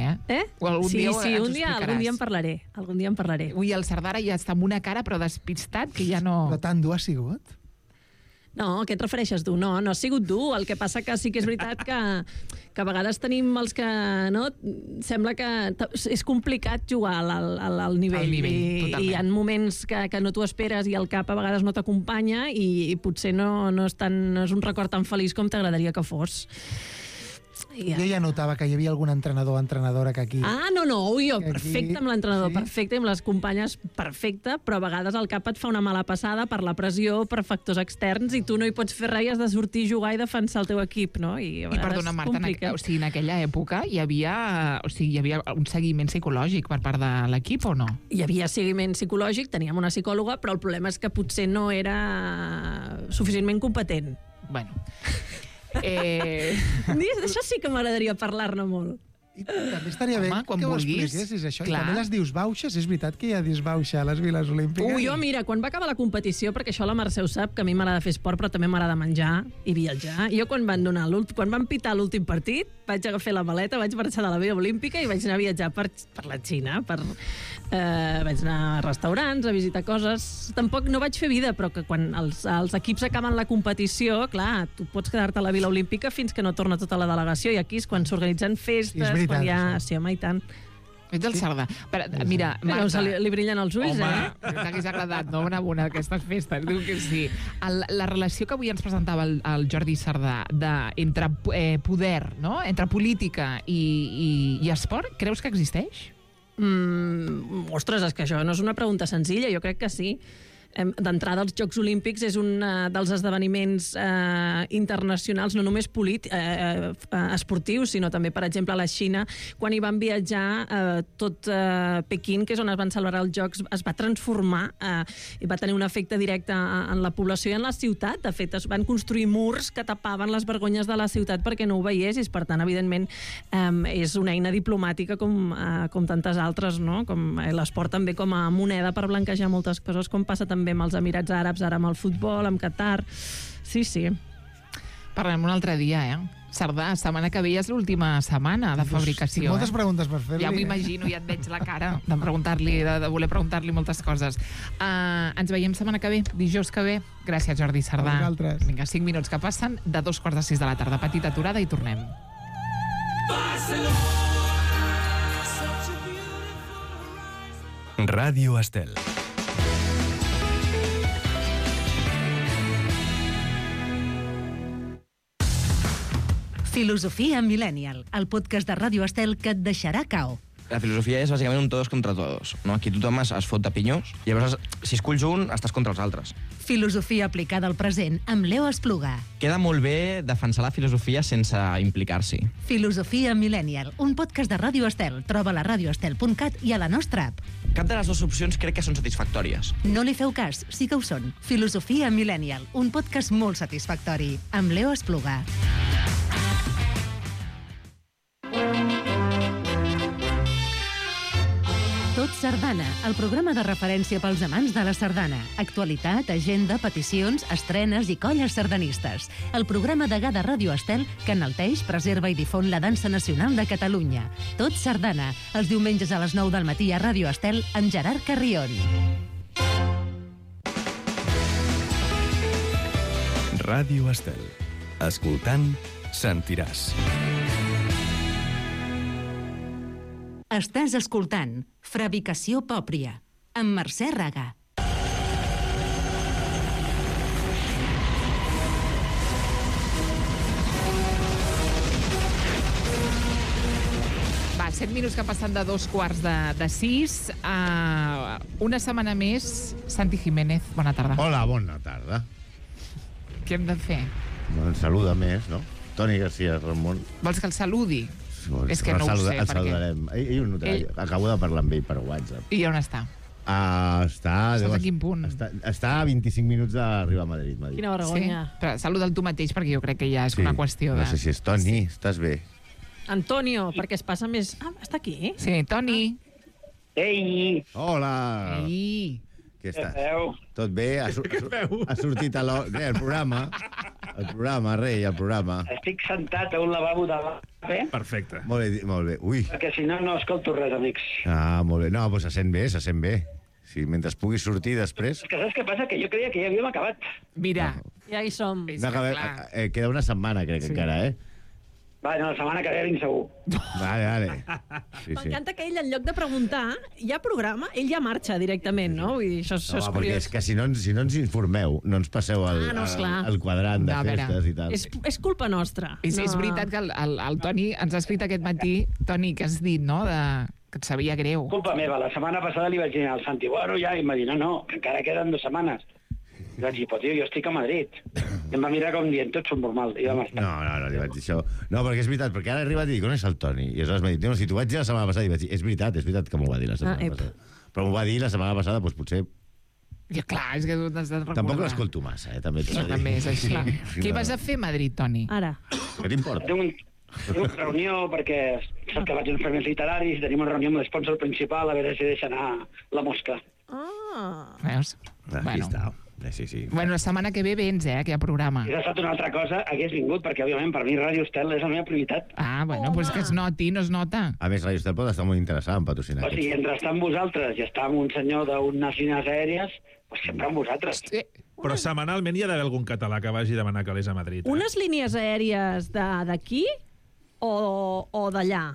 O algun dia algun dia en parlaré. Algun dia en parlaré. Ui, el Sardara ja està amb una cara però despistat que ja no... Però tan dur ha sigut? No, a què et refereixes dur? No ha sigut dur. El que passa que sí que és veritat que a vegades tenim els que... No? Sembla que és complicat jugar al nivell. I hi ha moments que no t'ho esperes i el cap a vegades no t'acompanya i potser no és un record tan feliç com t'agradaria que fos. Jo ja notava que hi havia algun entrenador o entrenadora que aquí... Jo perfecte amb l'entrenador, perfecte amb les companyes, perfecte, però a vegades el cap et fa una mala passada per la pressió, per factors externs, i tu no hi pots fer res i has de sortir, jugar i defensar el teu equip, no? I perdona, Marta, en aquella època hi havia un seguiment psicològic per part de l'equip o no? Hi havia seguiment psicològic, teníem una psicòloga, però el problema és que potser no era suficientment competent. Bueno... D'això sí que m'agradaria parlar-ne molt. I també estaria bé que ho expliquessis, això. Clar. I també les disbauxes. És veritat que hi ha disbauxa a les viles olímpiques? Jo, mira, quan va acabar la competició, perquè això la Mercè ho sap, que a mi m'agrada fer esport, però també m'agrada menjar i viatjar. Jo, quan van pitar l'últim partit, vaig agafar la maleta, vaig marxar de la Vila Olímpica i vaig anar a viatjar per la Xina. Vaig anar a restaurants, a visitar coses. Tampoc no vaig fer vida, però que quan els equips acaben la competició, clar, tu pots quedar-te a la Vila Olímpica fins que no torna tota la delegació, i aquí és quan s'organitzen festes, quan hi ha... Sí, home, i tant. Ets el Sardà. Mira, Marta... Li brillen els ulls, t'hagués agradat, no? Una aquestes festes. Diu que sí. La relació que avui ens presentava el Jordi Sardà entre poder, no? Entre política i esport, creus que existeix? Ostres, és que això no és una pregunta senzilla, jo crec que sí. D'entrada, els Jocs Olímpics és un dels esdeveniments internacionals, no només esportius, sinó també, per exemple, a la Xina, quan hi van viatjar, tot Pequín, que és on es van celebrar els Jocs, es va transformar i va tenir un efecte directe en la població i en la ciutat. De fet, es van construir murs que tapaven les vergonyes de la ciutat perquè no ho veiessis. Per tant, evidentment, és una eina diplomàtica com tantes altres, no? Com l'esport també com a moneda per blanquejar moltes coses, com passa també amb els Emirats Àrabs, ara amb el futbol, amb Qatar. Sí. Parlem un altre dia, Sardà, setmana que ve és l'última setmana de fabricació. Tinc moltes preguntes per fer-li. Ja m'ho imagino, ja et veig la cara de voler preguntar-li moltes coses. Ens veiem setmana que ve, dijous que ve. Gràcies, Jordi Sardà. Vinga, 5 minuts que passen de 2:45 de la tarda. Petita aturada i tornem. Ràdio Estel. Filosofia Millennial, el podcast de Ràdio Estel que et deixarà cao. La filosofia és bàsicament un todos contra todos, no? Aquí tothom es fot de pinyós, i llavors, si esculls un, estàs contra els altres. Filosofia aplicada al present amb Leo Espluga. Queda molt bé defensar la filosofia sense implicar-s'hi. Filosofia Millennial, un podcast de Ràdio Estel. Troba a radioestel.cat i a la nostra app. Cap de les dues opcions crec que són satisfactòries. No li feu cas, sí que ho són. Filosofia Millennial, un podcast molt satisfactori, amb Leo Espluga. Tot Sardana, el programa de referència pels amants de la sardana. Actualitat, agenda, peticions, estrenes i colles sardanistes. El programa degà de Ràdio Estel que enalteix, preserva i difon la dansa nacional de Catalunya. Tot Sardana, els diumenges a les 9 del matí a Ràdio Estel amb Gerard Carrion. Ràdio Estel. Escoltant, sentiràs. Estàs escoltant Fabricació Pòpria, amb Mercè Raga. Va, 7 minuts que passen de 2:45. Una setmana més, Santi Jiménez, bona tarda. Hola, bona tarda. Què hem de fer? Bueno, saluda més, no? Toni García Ramon. Vols que el saludi? És que no ho sé, el saludarem. Ell ho notarà. Acabo de parlar amb ell per WhatsApp. I on està? Estàs a quin punt? Està a 25 minuts d'arribar a Madrid. Quina vergonya. Sí? Però saluda'l tu mateix, perquè jo crec que ja és una qüestió de... No sé si és Toni, estàs bé? Antonio, perquè es passa més... Ah, està aquí? Sí, Toni. Ei! Hola! Ei! Què estàs? Tot bé? Ha sortit el programa. El programa. Estic sentat a un lavabo de l'AVE. Perfecte. Molt bé. Ui. Perquè si no, no escolto res, amics. Molt bé. No, doncs se sent bé. Sí, mentre puguis sortir després... És que saps què passa? Que jo creia que ja havíem acabat. Mira. Ja hi som. Queda una setmana, crec, encara, Va, no, la setmana que ve vinc segur. Vale. M'encanta que ell, en lloc de preguntar, hi ha programa, ell ja marxa directament, no? Vull dir, això és perquè curiós. és que si no ens informeu, no ens passeu el quadrant de festes i tal. És culpa nostra. És veritat que el Toni ens ha escrit aquest matí, Toni, que has dit, no?, que et sabia greu. Culpa meva. La setmana passada li vaig dir al Santi, bueno, ja, i em va dir, no, que encara queden 2 setmanes. I vaig dir, però tio, jo estic a Madrid. I em va mirar com dient, tots són normal. I vam estar. No, li vaig dir això. No, perquè és veritat, perquè ara he arribat i dic, on és el Toni? I aleshores m'ha dit, no, si t'ho vaig dir la setmana passada, i vaig dir, és veritat que m'ho va dir la setmana passada. Però m'ho va dir la setmana passada, doncs potser... Ja, clar, és que tu t'has de recordar. Tampoc l'escolto massa, també. També és així. Què vas a fer a Madrid, Toni? Ara. Què t'importa? Tinc una reunió perquè saps que vaig a uns premis literaris, tenim una reunió amb l'esponsor principal, a veure si deixa anar la mosca. Veus? Aquí està. Sí. Bueno, la setmana que ve vens, que hi ha programa. Si hagués estat una altra cosa, hagués vingut, perquè, òbviament, per mi Ràdio Estel és la meva prioritat. Bueno, doncs que es noti, no es nota. A més, Ràdio Estel pot estar molt interessada en patrocinar. O sigui, entre estar amb vosaltres i estar amb un senyor d'unes línies aèries, doncs sempre amb vosaltres. Sí. Però setmanalment hi ha d'haver algun català que vagi a demanar calés a Madrid. Unes línies aèries d'aquí o d'allà?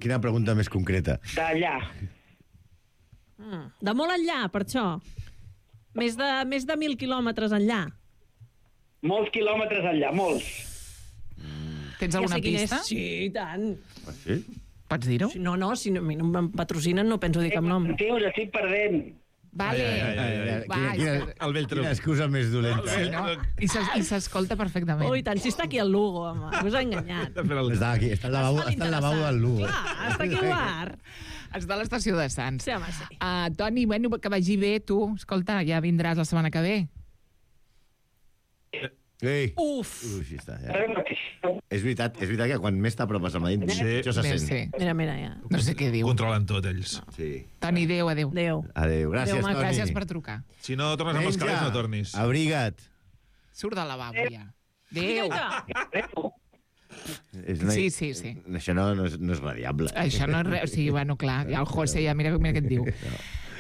Quina pregunta més concreta. D'allà. De molt enllà, per això. Més de 1.000 quilòmetres enllà. Molts quilòmetres enllà, molts. Tens alguna pista? Sí, i tant. Sí? Pots dir-ho? No, si a mi no em patrocinen no penso dir cap nom. Tio, us estic perdent. Vale. El vell truc. Quina excusa més dolenta. Sí, no? I s'escolta perfectament. Oh, i tant, si està aquí el Lugo, home. Us ha enganyat. Està aquí, està al lavabo del Lugo. Clar, està aquí al bar. Està a l'estació de Sants. Sí, home, sí. Toni, bueno, que vagi bé, tu. Escolta, ja vindràs la setmana que ve. Ei. Uf. Així està, ja. És veritat que quan més t'apropes a Madrid, això se sent. Sí. Mira, ja. No sé què diu. Controlen tot, ells. Sí. Toni, adéu. Adéu. Gràcies, Adéu, Toni. Gràcies per trucar. Si no tornes amb els calés, no tornis. Abriga't. Surt del lavabo, ja. Adéu. Sí. Això no és radiable. Això no és res. O sigui, bueno, clar, el José ja mira què et diu.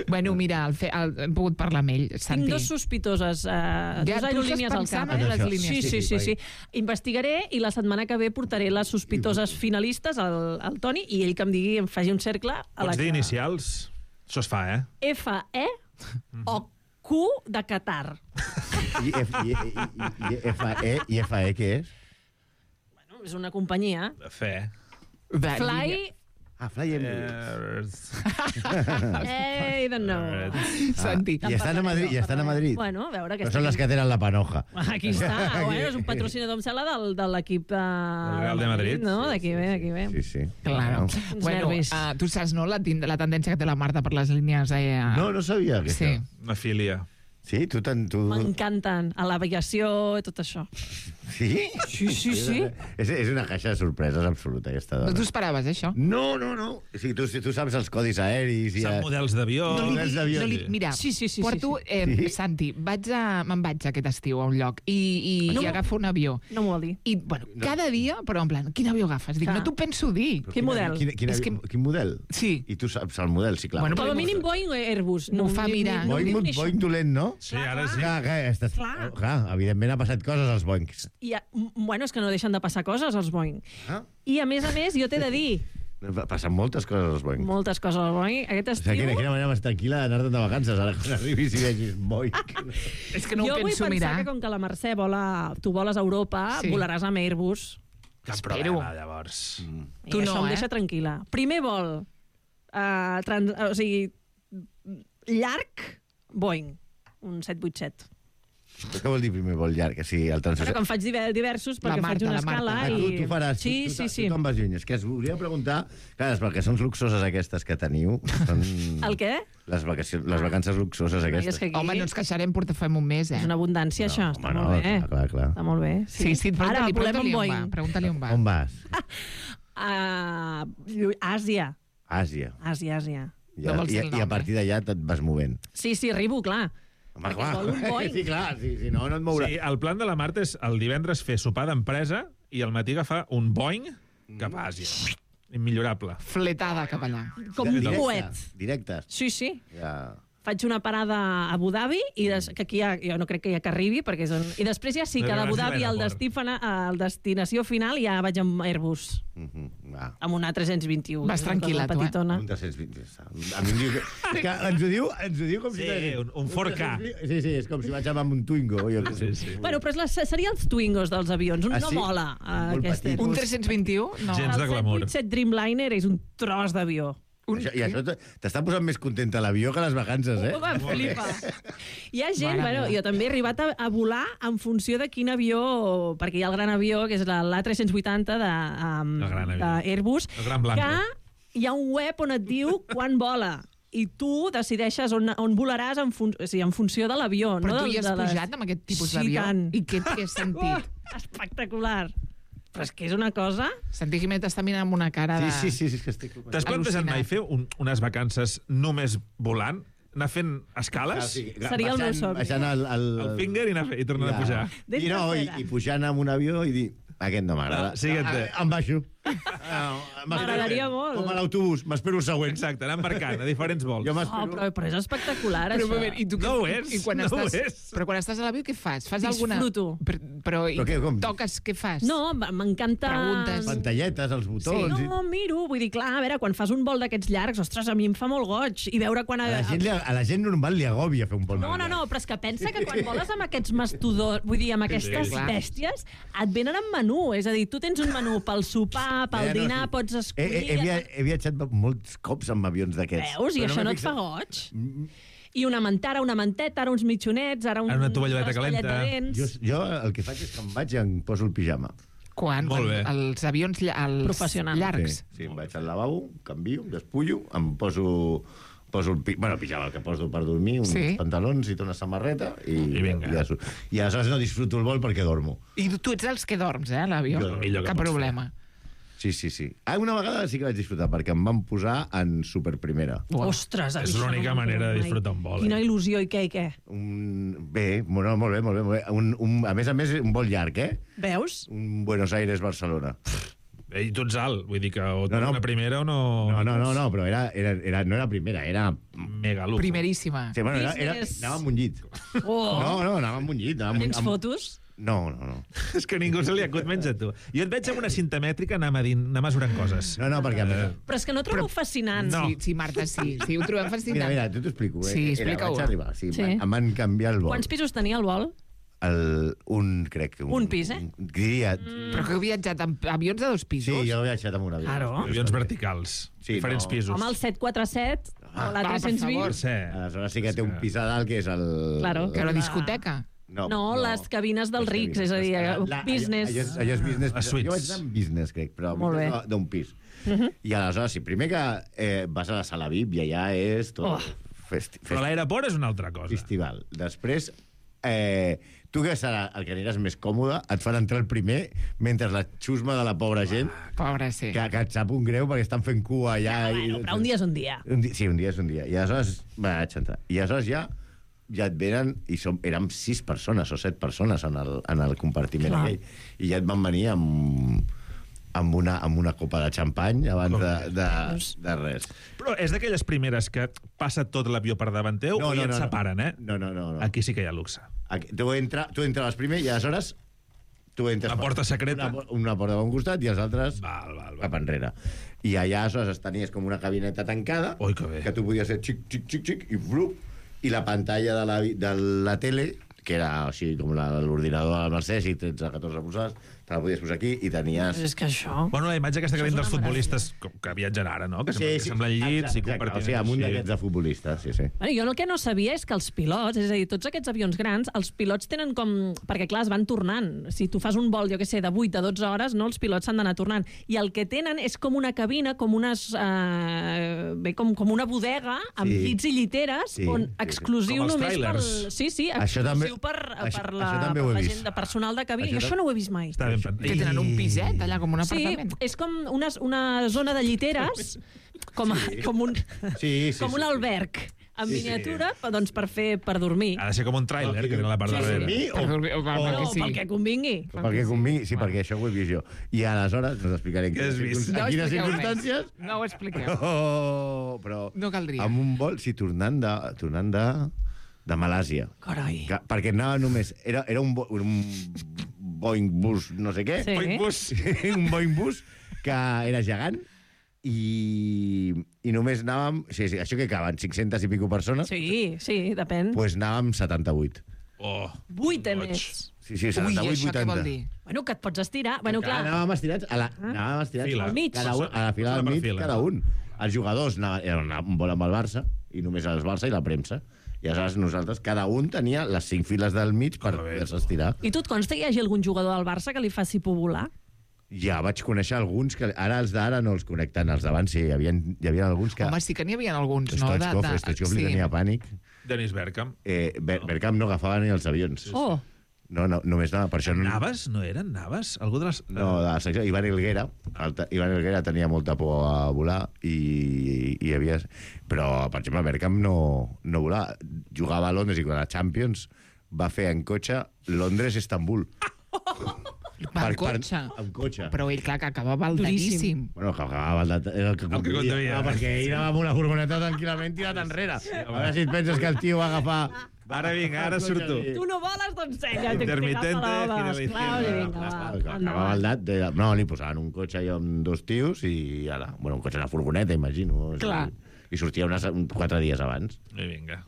Bueno, mira, hem pogut parlar amb ell, Santi. Tinc 2 sospitoses, 2 aerolínies al cap. Sí. Investigaré i la setmana que ve portaré les sospitoses finalistes al Toni i ell que em digui, em faci un cercle... Pots dir inicials? Això es fa, FE o Q de Qatar. I FE què és? és una companyia. De fe. Fly... Fly Emirates. I don't know. Santi. I estan a Madrid. Bueno, a veure... No són les que tenen la panoja. Aquí està. Bueno, és un patrocinador, em sembla, de l'equip... Del Real de Madrid. No? D'aquí ve. Sí. Claro. Bueno, tu saps, no?, la tendència que té la Marta per les línies... No sabia. Sí. Una filia. Sí? Tu... M'encanten. A l'aviació i tot això. Sí? Sí. És una caixa de sorpreses absoluta, aquesta dona. No t'ho esperaves, això? No. O sigui, tu saps els codis aeris... Sap models d'avió. Mira, Sí. porto... Santi, me'n vaig aquest estiu a un lloc i agafo un avió. No m'ho vol dir. I, bueno, cada dia, però en plan, quin avió agafes? Dic, no t'ho penso dir. Quin model? Quin model? Sí. I tu saps el model, sí, clar. Bueno, Com a mínim Boeing o Airbus. M'ho fa mirar. Boeing dolent, no? Sí, ara sí. Clar, evidentment ha passat coses als Boeings. Bueno, és que no deixen de passar coses als Boeing. I a més, jo t'he de dir... Passen moltes coses als Boeing. Moltes coses als Boeing. Aquest estiu... Quina manera més tranquil·la d'anar-te'n de vacances, ara quan arribis i vegis Boeing. És que no ho penso mirar. Jo vull pensar que com que la Mercè tu voles a Europa, volaràs amb Airbus. Cap problema, llavors. Tu no, això em deixa tranquil·la. Primer vol, o sigui, llarg, Boeing, un 787. Què vol dir primer vol llarg? O sigui, el Però quan faig diversos, perquè faig una escala... Tu faràs, Sí. tu te'n vas lluny. És que es volia preguntar, clar, perquè són luxoses aquestes que teniu. El què? Les vacances luxoses aquestes. Home, no ens queixarem, portafem un mes, És una abundància, això. Està molt bé. Clar. Està molt bé. Sí, pregunta-li on va. On vas? Àsia. Àsia. I a partir d'allà te't vas movent. Sí, arribo, clar. Home, Perquè vol un Boeing. Sí, clar, si no et mourà. Sí, el plan de la Marta és el divendres fer sopar d'empresa i al matí agafar un Boeing cap a Àsia. Immillorable. Fletada cap allà. Com un coet. Directes. Sí. Ja. Faig una parada a Abu Dhabi, que aquí jo no crec que arribi, perquè i després ja sí que d'Abu Dhabi al destinació final ja vaig amb Airbus. Amb una 321. Vas tranquil·la, tu, Un 320. A mi em diu que ens ho diu com si... Sí, un 4K. Sí, és com si vaig amb un Twingo. Sí. Bueno, però seria els Twingos dels avions. No mola aquest Airbus. Un 321? No. Gens de glamour. El 787 Dreamliner és un tros d'avió. I això t'està posant més contenta l'avió que les vacances, eh? Flipa. Hi ha gent, jo també he arribat a volar en funció de quin avió, perquè hi ha el gran avió, que és l'A380 d'Airbus, que hi ha un web on et diu quan vola. I tu decideixes on volaràs en funció de l'avió. Però tu hi has pujat amb aquest tipus d'avió? I què has sentit? Espectacular. Però és que és una cosa... Santi Jiménez està mirant amb una cara de... Sí, és que estic... T'has plantejat mai fer unes vacances només volant? Anar fent escales? Seria el meu somni. Baixant el finger i tornant a pujar. I pujant amb un avió i dir... Aquest no m'agrada. Em baixo. M'agradaria molt. Com a l'autobús, m'espero el següent. Exacte, anar embarcant a diferents vols. Però és espectacular, això. I tu no ho és. Però quan estàs a l'avió, què fas? Disfruto. Però toques, què fas? No, m'encanta... Preguntes. Pantalletes, els botons... No, miro, vull dir, clar, a veure, quan fas un vol d'aquests llargs, ostres, a mi em fa molt goig. I veure quan... A la gent normal li agòbia fer un vol. No, però és que pensa que quan voles amb aquests mastodons, vull dir, amb aquestes bèsties, et venen en menú. És a dir, tu tens un menú pel sopar, pel dinar, pots escollir... He viatjat molts cops amb avions d'aquests. Veus? I això no et fa goig? I una mantara, una manteta, ara uns mitjonets, ara una tovalleta calenta. Jo el que faig és que em vaig i em poso el pijama. Quan? Els avions llargs? Sí, em vaig al lavabo, canvio, despullo, em poso el pijama, el que poso per dormir, uns pantalons i una samarreta i aleshores no disfruto el vol perquè dormo. I tu ets els que dorms, a l'avió? Cap problema. Sí. Una vegada sí que vaig disfrutar, perquè em van posar en superprimera. Ostres! És l'única manera de disfrutar un vol. Quina il·lusió, i què? Bé, molt bé. A més, un vol llarg, Veus? Un Buenos Aires-Barcelona. I tu ets alt, vull dir que o una primera o no... No, però no era primera, era... Mega lujo. Primeríssima. Sí, bueno, anava amb un llit. No, anava amb un llit. Tens fotos? No. És que ningú se li acut menys a tu. Jo et veig amb una cinta mètrica anar mesurant coses. No, perquè... Però és que no trobo fascinant. Sí, Marta, sí, ho trobem fascinant. Mira, tu t'ho explico. Sí, explica-ho. Vaig arribar, em van canviar el vol. Quants pisos tenia el vol? crec que... Un pis, Diria... Però que heu viatjat amb avions de 2 pisos? Sí, jo he viatjat amb un avió. Claro. Avions verticals, diferents pisos. Home, el 747 o la per 320. Sí. Aleshores sí que té un pis a dalt, que és el... Claro. Que la discoteca. No, les cabines dels rics, és a dir, business. Allò és business. Les suites. Jo vaig anar amb business, crec, però Molt bé. d'un pis. I aleshores, sí, primer que vas a la sala VIP i allà és tot... Però l'aeroport és una altra cosa. Festival. Després, tu que serà el que aniràs més còmode, et fan entrar el primer mentre la xusma de la pobra gent Pobra, sí. que et sap un greu perquè estan fent cua allà. Però un dia és un dia. Sí, un dia és un dia. I aleshores vaig entrar. I aleshores ja et venen, i érem 6 persones o 7 persones en el compartiment aquell, i ja et van venir amb una copa de xampany abans de res. Però és d'aquelles primeres que passa tot l'avió per davant teu i et separen, eh? No. Aquí sí que hi ha luxe. Tu entres primer i aleshores tu entres... La porta secreta. Una porta a un costat i els altres cap enrere. I allà aleshores tenies com una cabineta tancada que tu podies fer xic, i blup, i la pantalla de la tele, que era així com l'ordinador del Mercès, i 13-14 posades, te la podies posar aquí i tenies... És que això... Bueno, la imatge aquesta que tenim dels futbolistes que viatgen ara, no? Que semblen llits i compartint... O sigui, amb un d'aquests de futbolistes, sí. Bueno, jo el que no sabia és que els pilots, és a dir, tots aquests avions grans, els pilots tenen com... Perquè, clar, es van tornant. Si tu fas un vol, jo què sé, de 8 a 12 hores, no, els pilots s'han d'anar tornant. I el que tenen és com una cabina, com unes... com una bodega amb llits i lliteres, on exclusiu només per... Sí, exclusiu per la gent de personal de cabina. Jo això no ho he vist mai. Que tenen un piset allà, com un apartament. Sí, és com una zona de lliteres, com un alberg, en miniatura, doncs per dormir. Ha de ser com un tràiler, que té la part darrere. Pel que convingui. Pel que convingui, sí, perquè això ho he vist jo. I aleshores, no t'explicaré en quines circumstàncies... No ho expliqueu. Però no caldria. amb un vol, sí, tornant de Malàsia. Carai. Perquè anava només... Era un Boeing bus, no sé què. Sí. Un Boeing bus que era gegant i només anàvem... Sí, això que caben, 500 i pico persones? Sí, depèn. Doncs anàvem 78. 8 més. Sí, 78, 80. Què vol dir? Bueno, que et pots estirar. Bueno, clar. Anàvem estirats al mig. A la fila del mig, cada un. Els jugadors anaven un vol amb el Barça, i només el Barça i la premsa. I aleshores nosaltres, cada un tenia les 5 files del mig per poder-se estirar. I tu et consta que hi hagi algun jugador del Barça que li faci por volar? Ja vaig conèixer alguns, que ara els d'ara no els connecten, els d'abans sí, hi havia alguns que... Home, sí que n'hi havia alguns, no? Stoichkov li tenia pànic. Dennis Bergkamp. Bergkamp no agafava ni els avions. Oh! No, només anava, per això... Naves? No eren Naves? Algú de les... No, de la secció. Ivan Helguera tenia molta por a volar i hi havia... Però, per exemple, Bergkamp no volava. Jugava a Londres i quan a Champions va fer en cotxe Londres-Istanbul. Amb cotxe? Amb cotxe. Però ell, clar, que acabava baldadíssim. Bueno, que acabava el que conduïa. Perquè ell anava amb una furgoneta tranquil·lament tirat enrere. A veure si et penses que el tio va agafar... Ara vinga, ara surto. Tu no voles, doncs ensenya. Intermitente, acabava baldat. No, li posaven un cotxe allò amb 2 tios i ara... Bueno, un cotxe, una furgoneta, imagino. Clar. I sortia 4 dies abans. I vinga.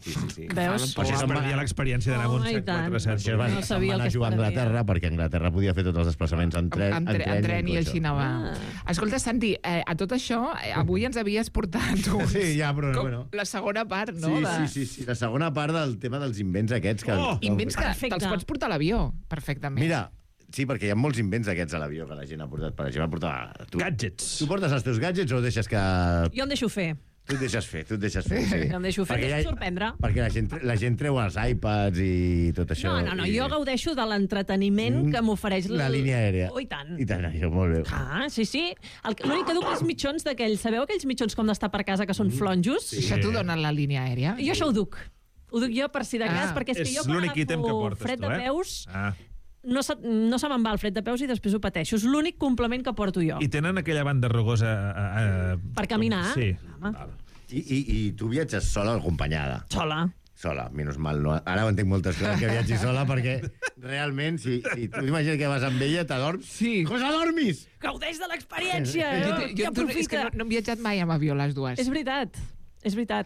Veus? Però això es perdia l'experiència d'anar amb un 747. Això va anar a jugar a Anglaterra perquè Anglaterra podia fer tots els desplaçaments en tren i així anava. Escolta, Santi, a tot això, avui ens havies portat la segona part, no? Sí, la segona part del tema dels invents aquests. Invents que te'ls pots portar a l'avió, perfectament. Mira, sí, perquè hi ha molts invents aquests a l'avió que la gent ha portat. Per exemple, gadgets. Tu portes els teus gadgets o deixes que... Jo em deixo fer. Tu et deixes fer, sí. Em deixo fer, em deixo sorprendre. Perquè la gent treu els iPads i tot això. No, jo gaudeixo de l'entreteniment que m'ofereix la línia aèria. Oh, i tant. I tant, això, molt bé. Sí. L'únic que duc és mitjons d'aquells, sabeu aquells mitjons com d'estar per casa que són flonjos? Sí. Això t'ho donen la línia aèria? Jo això ho duc. Ho duc jo per si de cas, perquè és que jo quan agafo fred de peus... No se me'n va el fred de peus i després ho pateixo. És l'únic complement que porto jo. I tenen aquella banda rugosa... Per caminar? Sí. I tu viatges sola o acompanyada? Sola, menys mal. No? Ara ho entenc moltes coses que viatgis sola, perquè realment, si tu imagines que vas amb ella, t'adorms... Sí. Cosa dormis! Gaudeix de l'experiència! És que no hem viatjat mai amb avió, les dues. És veritat,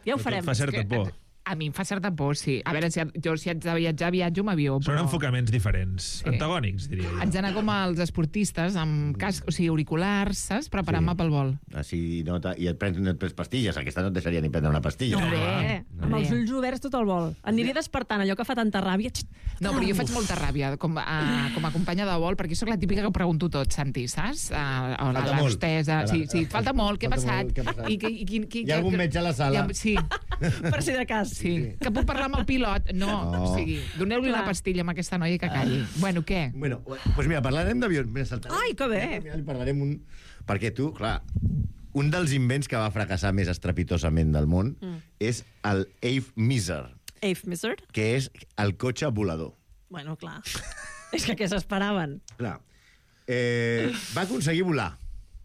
ja ho farem. Fa certa por. A mi em fa certa por, sí. A veure, si haig de viatjar, viatjo amb avió. Són enfocaments diferents, antagònics, diria jo. Haig d'anar com els esportistes, amb casc, o sigui, auriculars, saps? Preparant-me pel vol. Així no i et prens pastilles. Aquesta no et deixaria ni prendre una pastilla. Amb els ulls oberts tot el vol. Aniré despertant allò que fa tanta ràbia. No, però jo faig molta ràbia com a companya de vol, perquè sóc la típica que pregunto tot, Santi, saps? Falta molt. Sí, falta molt, què ha passat? Hi ha algun metge a la sala? Sí. Per si de cas. Sí. Que puc parlar amb el pilot? No. O sigui, doneu-li una pastilla amb aquesta noia que calli. Bueno, què? Bueno, doncs mira, parlarem d'avions. Ai, que bé! Parlarem perquè tu, clar, un dels invents que va fracassar més estrepitosament del món és el Ave-Miser. Ave-Miser? Que és el cotxe volador. Bueno, clar. És que què s'esperaven? Clar. Va aconseguir volar.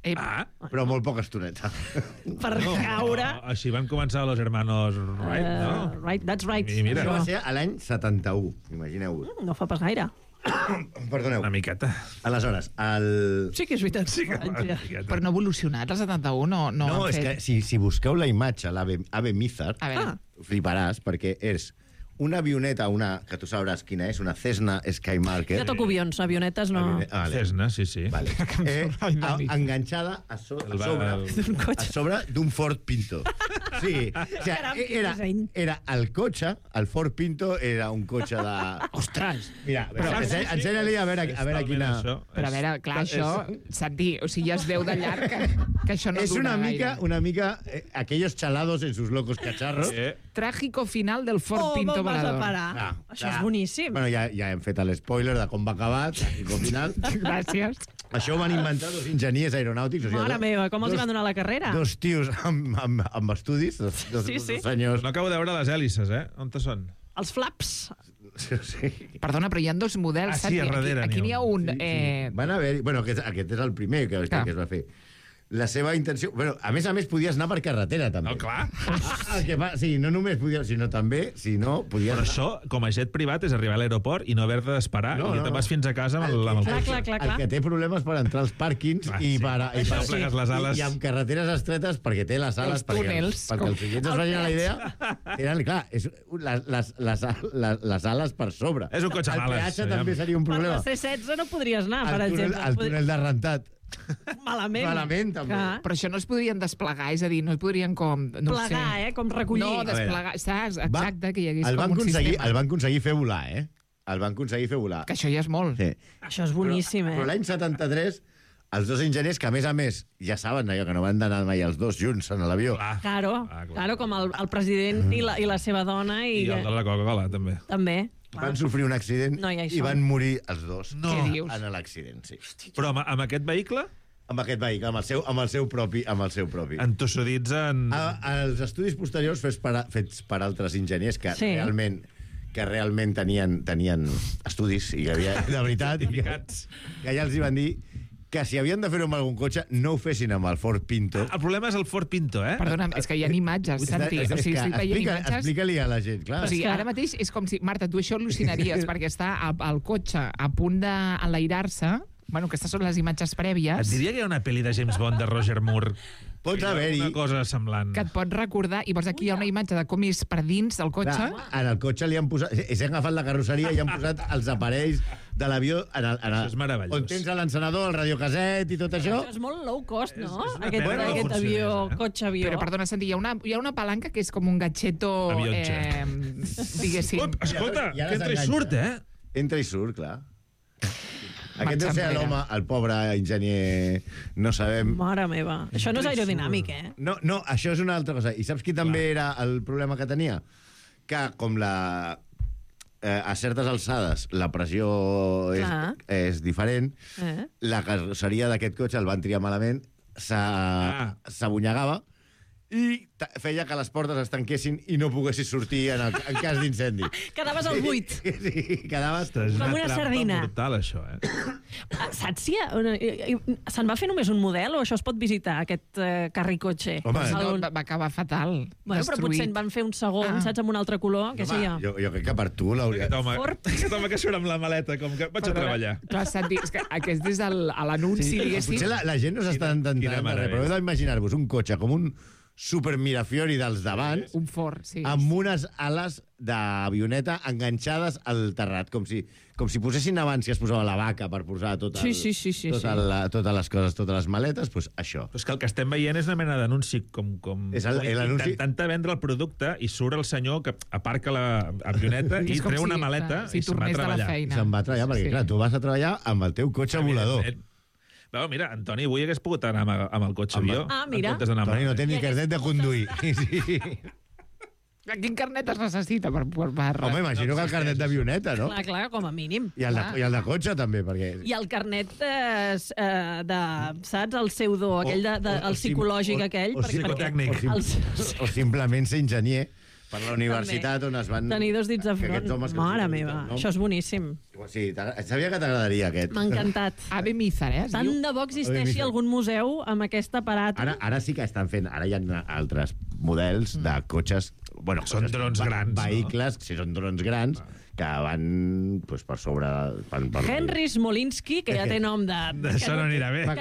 Però molt poca estoneta. Per caure... Així van començar los hermanos Wright, no? Right, that's right. Això va ser a l'any 71, imagineu-vos. No fa pas gaire. Perdoneu. Una miqueta. Aleshores, Sí que és veritat. Sí que Però no ha evolucionat, el 71, no No, és que si busqueu la imatge, l'Ave-Miser, fliparàs, perquè és una avioneta, que tu sabràs quina és, una Cessna Skymarker. Jo toco avions, avionetes no... Cessna, sí. Vale. Enganxada a sobre d'un Ford Pinto. Sí, o sigui, era el cotxe, el Ford Pinto era un cotxe de... Ostres! Mira, ensenya-li a veure quina... Però a veure, clar, això, Santi, o sigui, ja es veu de llarg que això no dura gaire. És una mica aquellos chalados en sus locos cacharros. Trágico final del Ford Pinto vas a volador. parar? Això és boníssim. Bueno, ja hem fet l'espoiler de com va acabar, trágico final. Gràcies. Això ho van inventar dos enginyers aeronàutics. Mare meva, com els hi van donar la carrera? Dos tios amb estudis, dos senyors. No acabo de veure les hèlices, On són? Els flaps. Sí. Perdona, però hi ha dos models. Sí, a darrere. Aquí n'hi ha un... Van haver... Bueno, aquest és el primer que es va fer. La seva intenció... Bueno, a més, podies anar per carretera, també. No, clar. Sí, no només podies, sinó també, si no, podies... Però això, com a jet privat, és arribar a l'aeroport i no haver de d'esperar i te'n vas fins a casa amb el cotxe. Clar. El que té problemes per entrar als pàrquings i amb carreteres estretes perquè té les ales... Els túnels. Perquè els clients es vagin a la idea, tenen, clar, les ales per sobre. És un cotxe amb ales. El peatge també seria un problema. Per la C-16 no podries anar, per exemple. El túnel de rentat. Malament, també. Però això no es podrien desplegar, és a dir, no es podrien com... Plegar, com recollir. No, desplegar, saps? Exacte, que hi hagués com un sistema. El van aconseguir fer volar, El van aconseguir fer volar. Que això ja és molt. Sí. Això és boníssim, Però l'any 73, els dos enginyers, que a més, ja saben allò, que no van anar mai els dos junts en l'avió. Claro, com el president i la seva dona. I el de la Coca-Cola, també. També. Van sofrir un accident i van morir els dos en l'accident, sí. Però amb aquest vehicle? Amb aquest vehicle, amb el seu propi. Entossudits en... Els estudis posteriors fets per altres enginyers que realment tenien estudis i que havia, de veritat, que ja els hi van dir que si havien de fer-ho amb algun cotxe, no ho fessin amb el Ford Pinto. El problema és el Ford Pinto, Perdona, és que hi ha imatges, Santi. O sigui, estic veient imatges... Explica-li a la gent, clar. O sigui, ara mateix és com si... Marta, tu això al·lucinaries, perquè està el cotxe a punt d'enlairar-se. Bueno, aquestes són les imatges prèvies. Et diria que hi ha una pel·li de James Bond de Roger Moore. Pots haver-hi... Una cosa semblant. Que et pot recordar... I llavors aquí hi ha una imatge de com és per dins del cotxe. En el cotxe li han posat... S'han agafat la carrosseria i han posat els aparells de l'avió això és meravellós. on tens l'encenedor, el radiocaset i tot això. Això és molt low cost, no? Aquest avió, cotxe-avió. Però, perdona, Santi, hi ha una palanca que és com un gatxeto... Diguéssim. Escolta, que entra i surt, Entra i surt, clar. Aquest deu ser l'home, el pobre enginyer, no sabem... Mare meva, això no és aerodinàmic, No, això és una altra cosa. I saps qui també era el problema que tenia? Que com a certes alçades la pressió és diferent, la carrosseria d'aquest cotxe el van triar malament, s'abunyegava i feia que les portes es tanquessin i no poguessis sortir en cas d'incendi. Quedaves al buit. Sí, quedaves... Com una sardina. És brutal, això, Saps si se'n va fer només un model o això es pot visitar, aquest carricotxe? Home, va acabar fatal. Bueno, però potser en van fer un segon, saps, amb un altre color, què sé jo. Jo crec que per tu l'hauria... Aquest home que surt amb la maleta, com que vaig a treballar. Clar, Santi, és que aquest és l'anunci, diguéssim. Potser la gent no s'està ententant de res, però heu d'imaginar-vos un cotxe com un super Mirafiori dels davant, Un fort, sí. amb unes ales d'avioneta enganxades al terrat, com si posessin abans que es posava la vaca per posar totes les coses, totes les maletes, doncs això. Però és que el que estem veient és una mena d'anunci com És l'anunci... intentant vendre el producte i surt el senyor que aparca l'avioneta i treu una maleta i se'n va a treballar. Se'n va a treballar, perquè clar, tu vas a treballar amb el teu cotxe volador. No, mira, Antoni, avui hagués pogut anar amb el cotxe avió. Ah, mira. Antoni no té ni carnet de conduir. Sí. Quin carnet es necessita per... Home, imagino que el carnet d'avioneta, no? Clar, com a mínim. I el de cotxe, també, perquè... I el carnet de saps, el pseudo, aquell el psicològic aquell. O psicotècnic. O simplement ser enginyer per la universitat on es van... Tenir dos dits de front. Mare meva, això és boníssim. Sí, sabia que t'agradaria aquest. M'ha encantat. Ave Mízar, Tant de bo existeixi algun museu amb aquest aparat. Ara sí que estan fent... Ara hi ha altres models de cotxes... Bueno, són drons grans. Vehicles, si són drons grans, que van per sobre... Henry Smolinski, que ja té nom de... Això no anirà bé. Va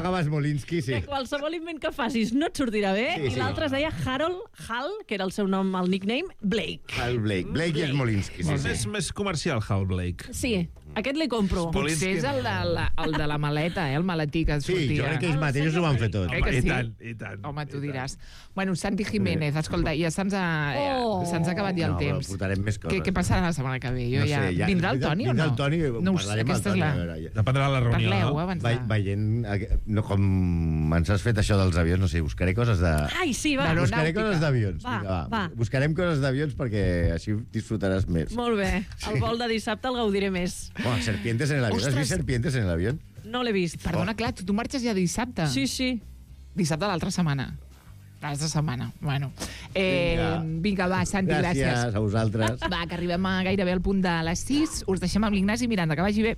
acabar Smolinski, sí. Que qualsevol invent que facis no et sortirà bé. I l'altre es deia Harold Hall, que era el seu nom, el nickname, Blake. Hal Blake. Blake i Smolinski. És més comercial, Hal Blake. Sí, aquest li compro. Potser és el de la maleta, el maletí que sortia. Sí, jo crec que ells mateixos ho van fer tot. I tant. Home, tu diràs. Bueno, Santi Jiménez, escolta, ja se'ns ha acabat ja el temps. No, portarem més coses. Què passarà la setmana que ve? Vindrà el Toni o no? Vindrà el Toni, parlarem amb el Toni. Dependrà de la reunió. Parleu, abans Veient com ens has fet això dels avions, no sé, buscaré coses de... Ai, sí, va. Buscaré coses d'avions. Va. Buscarem coses d'avions perquè així disfrutaràs més. Molt bé. El vol de dissabte el gaudiré més. Bueno, serpientes en el avión. ¿Has vist serpientes en el avión? No l'he vist. Perdona, clar, tu marxes ja dissabte. Sí. Dissabte de l'altra setmana. L'altra setmana. Bueno. Vinga, va, Santi, gràcies. Gràcies a vosaltres. Va, que arribem gairebé al punt de les 6. Us deixem amb l'Ignasi Miranda. Que vagi bé.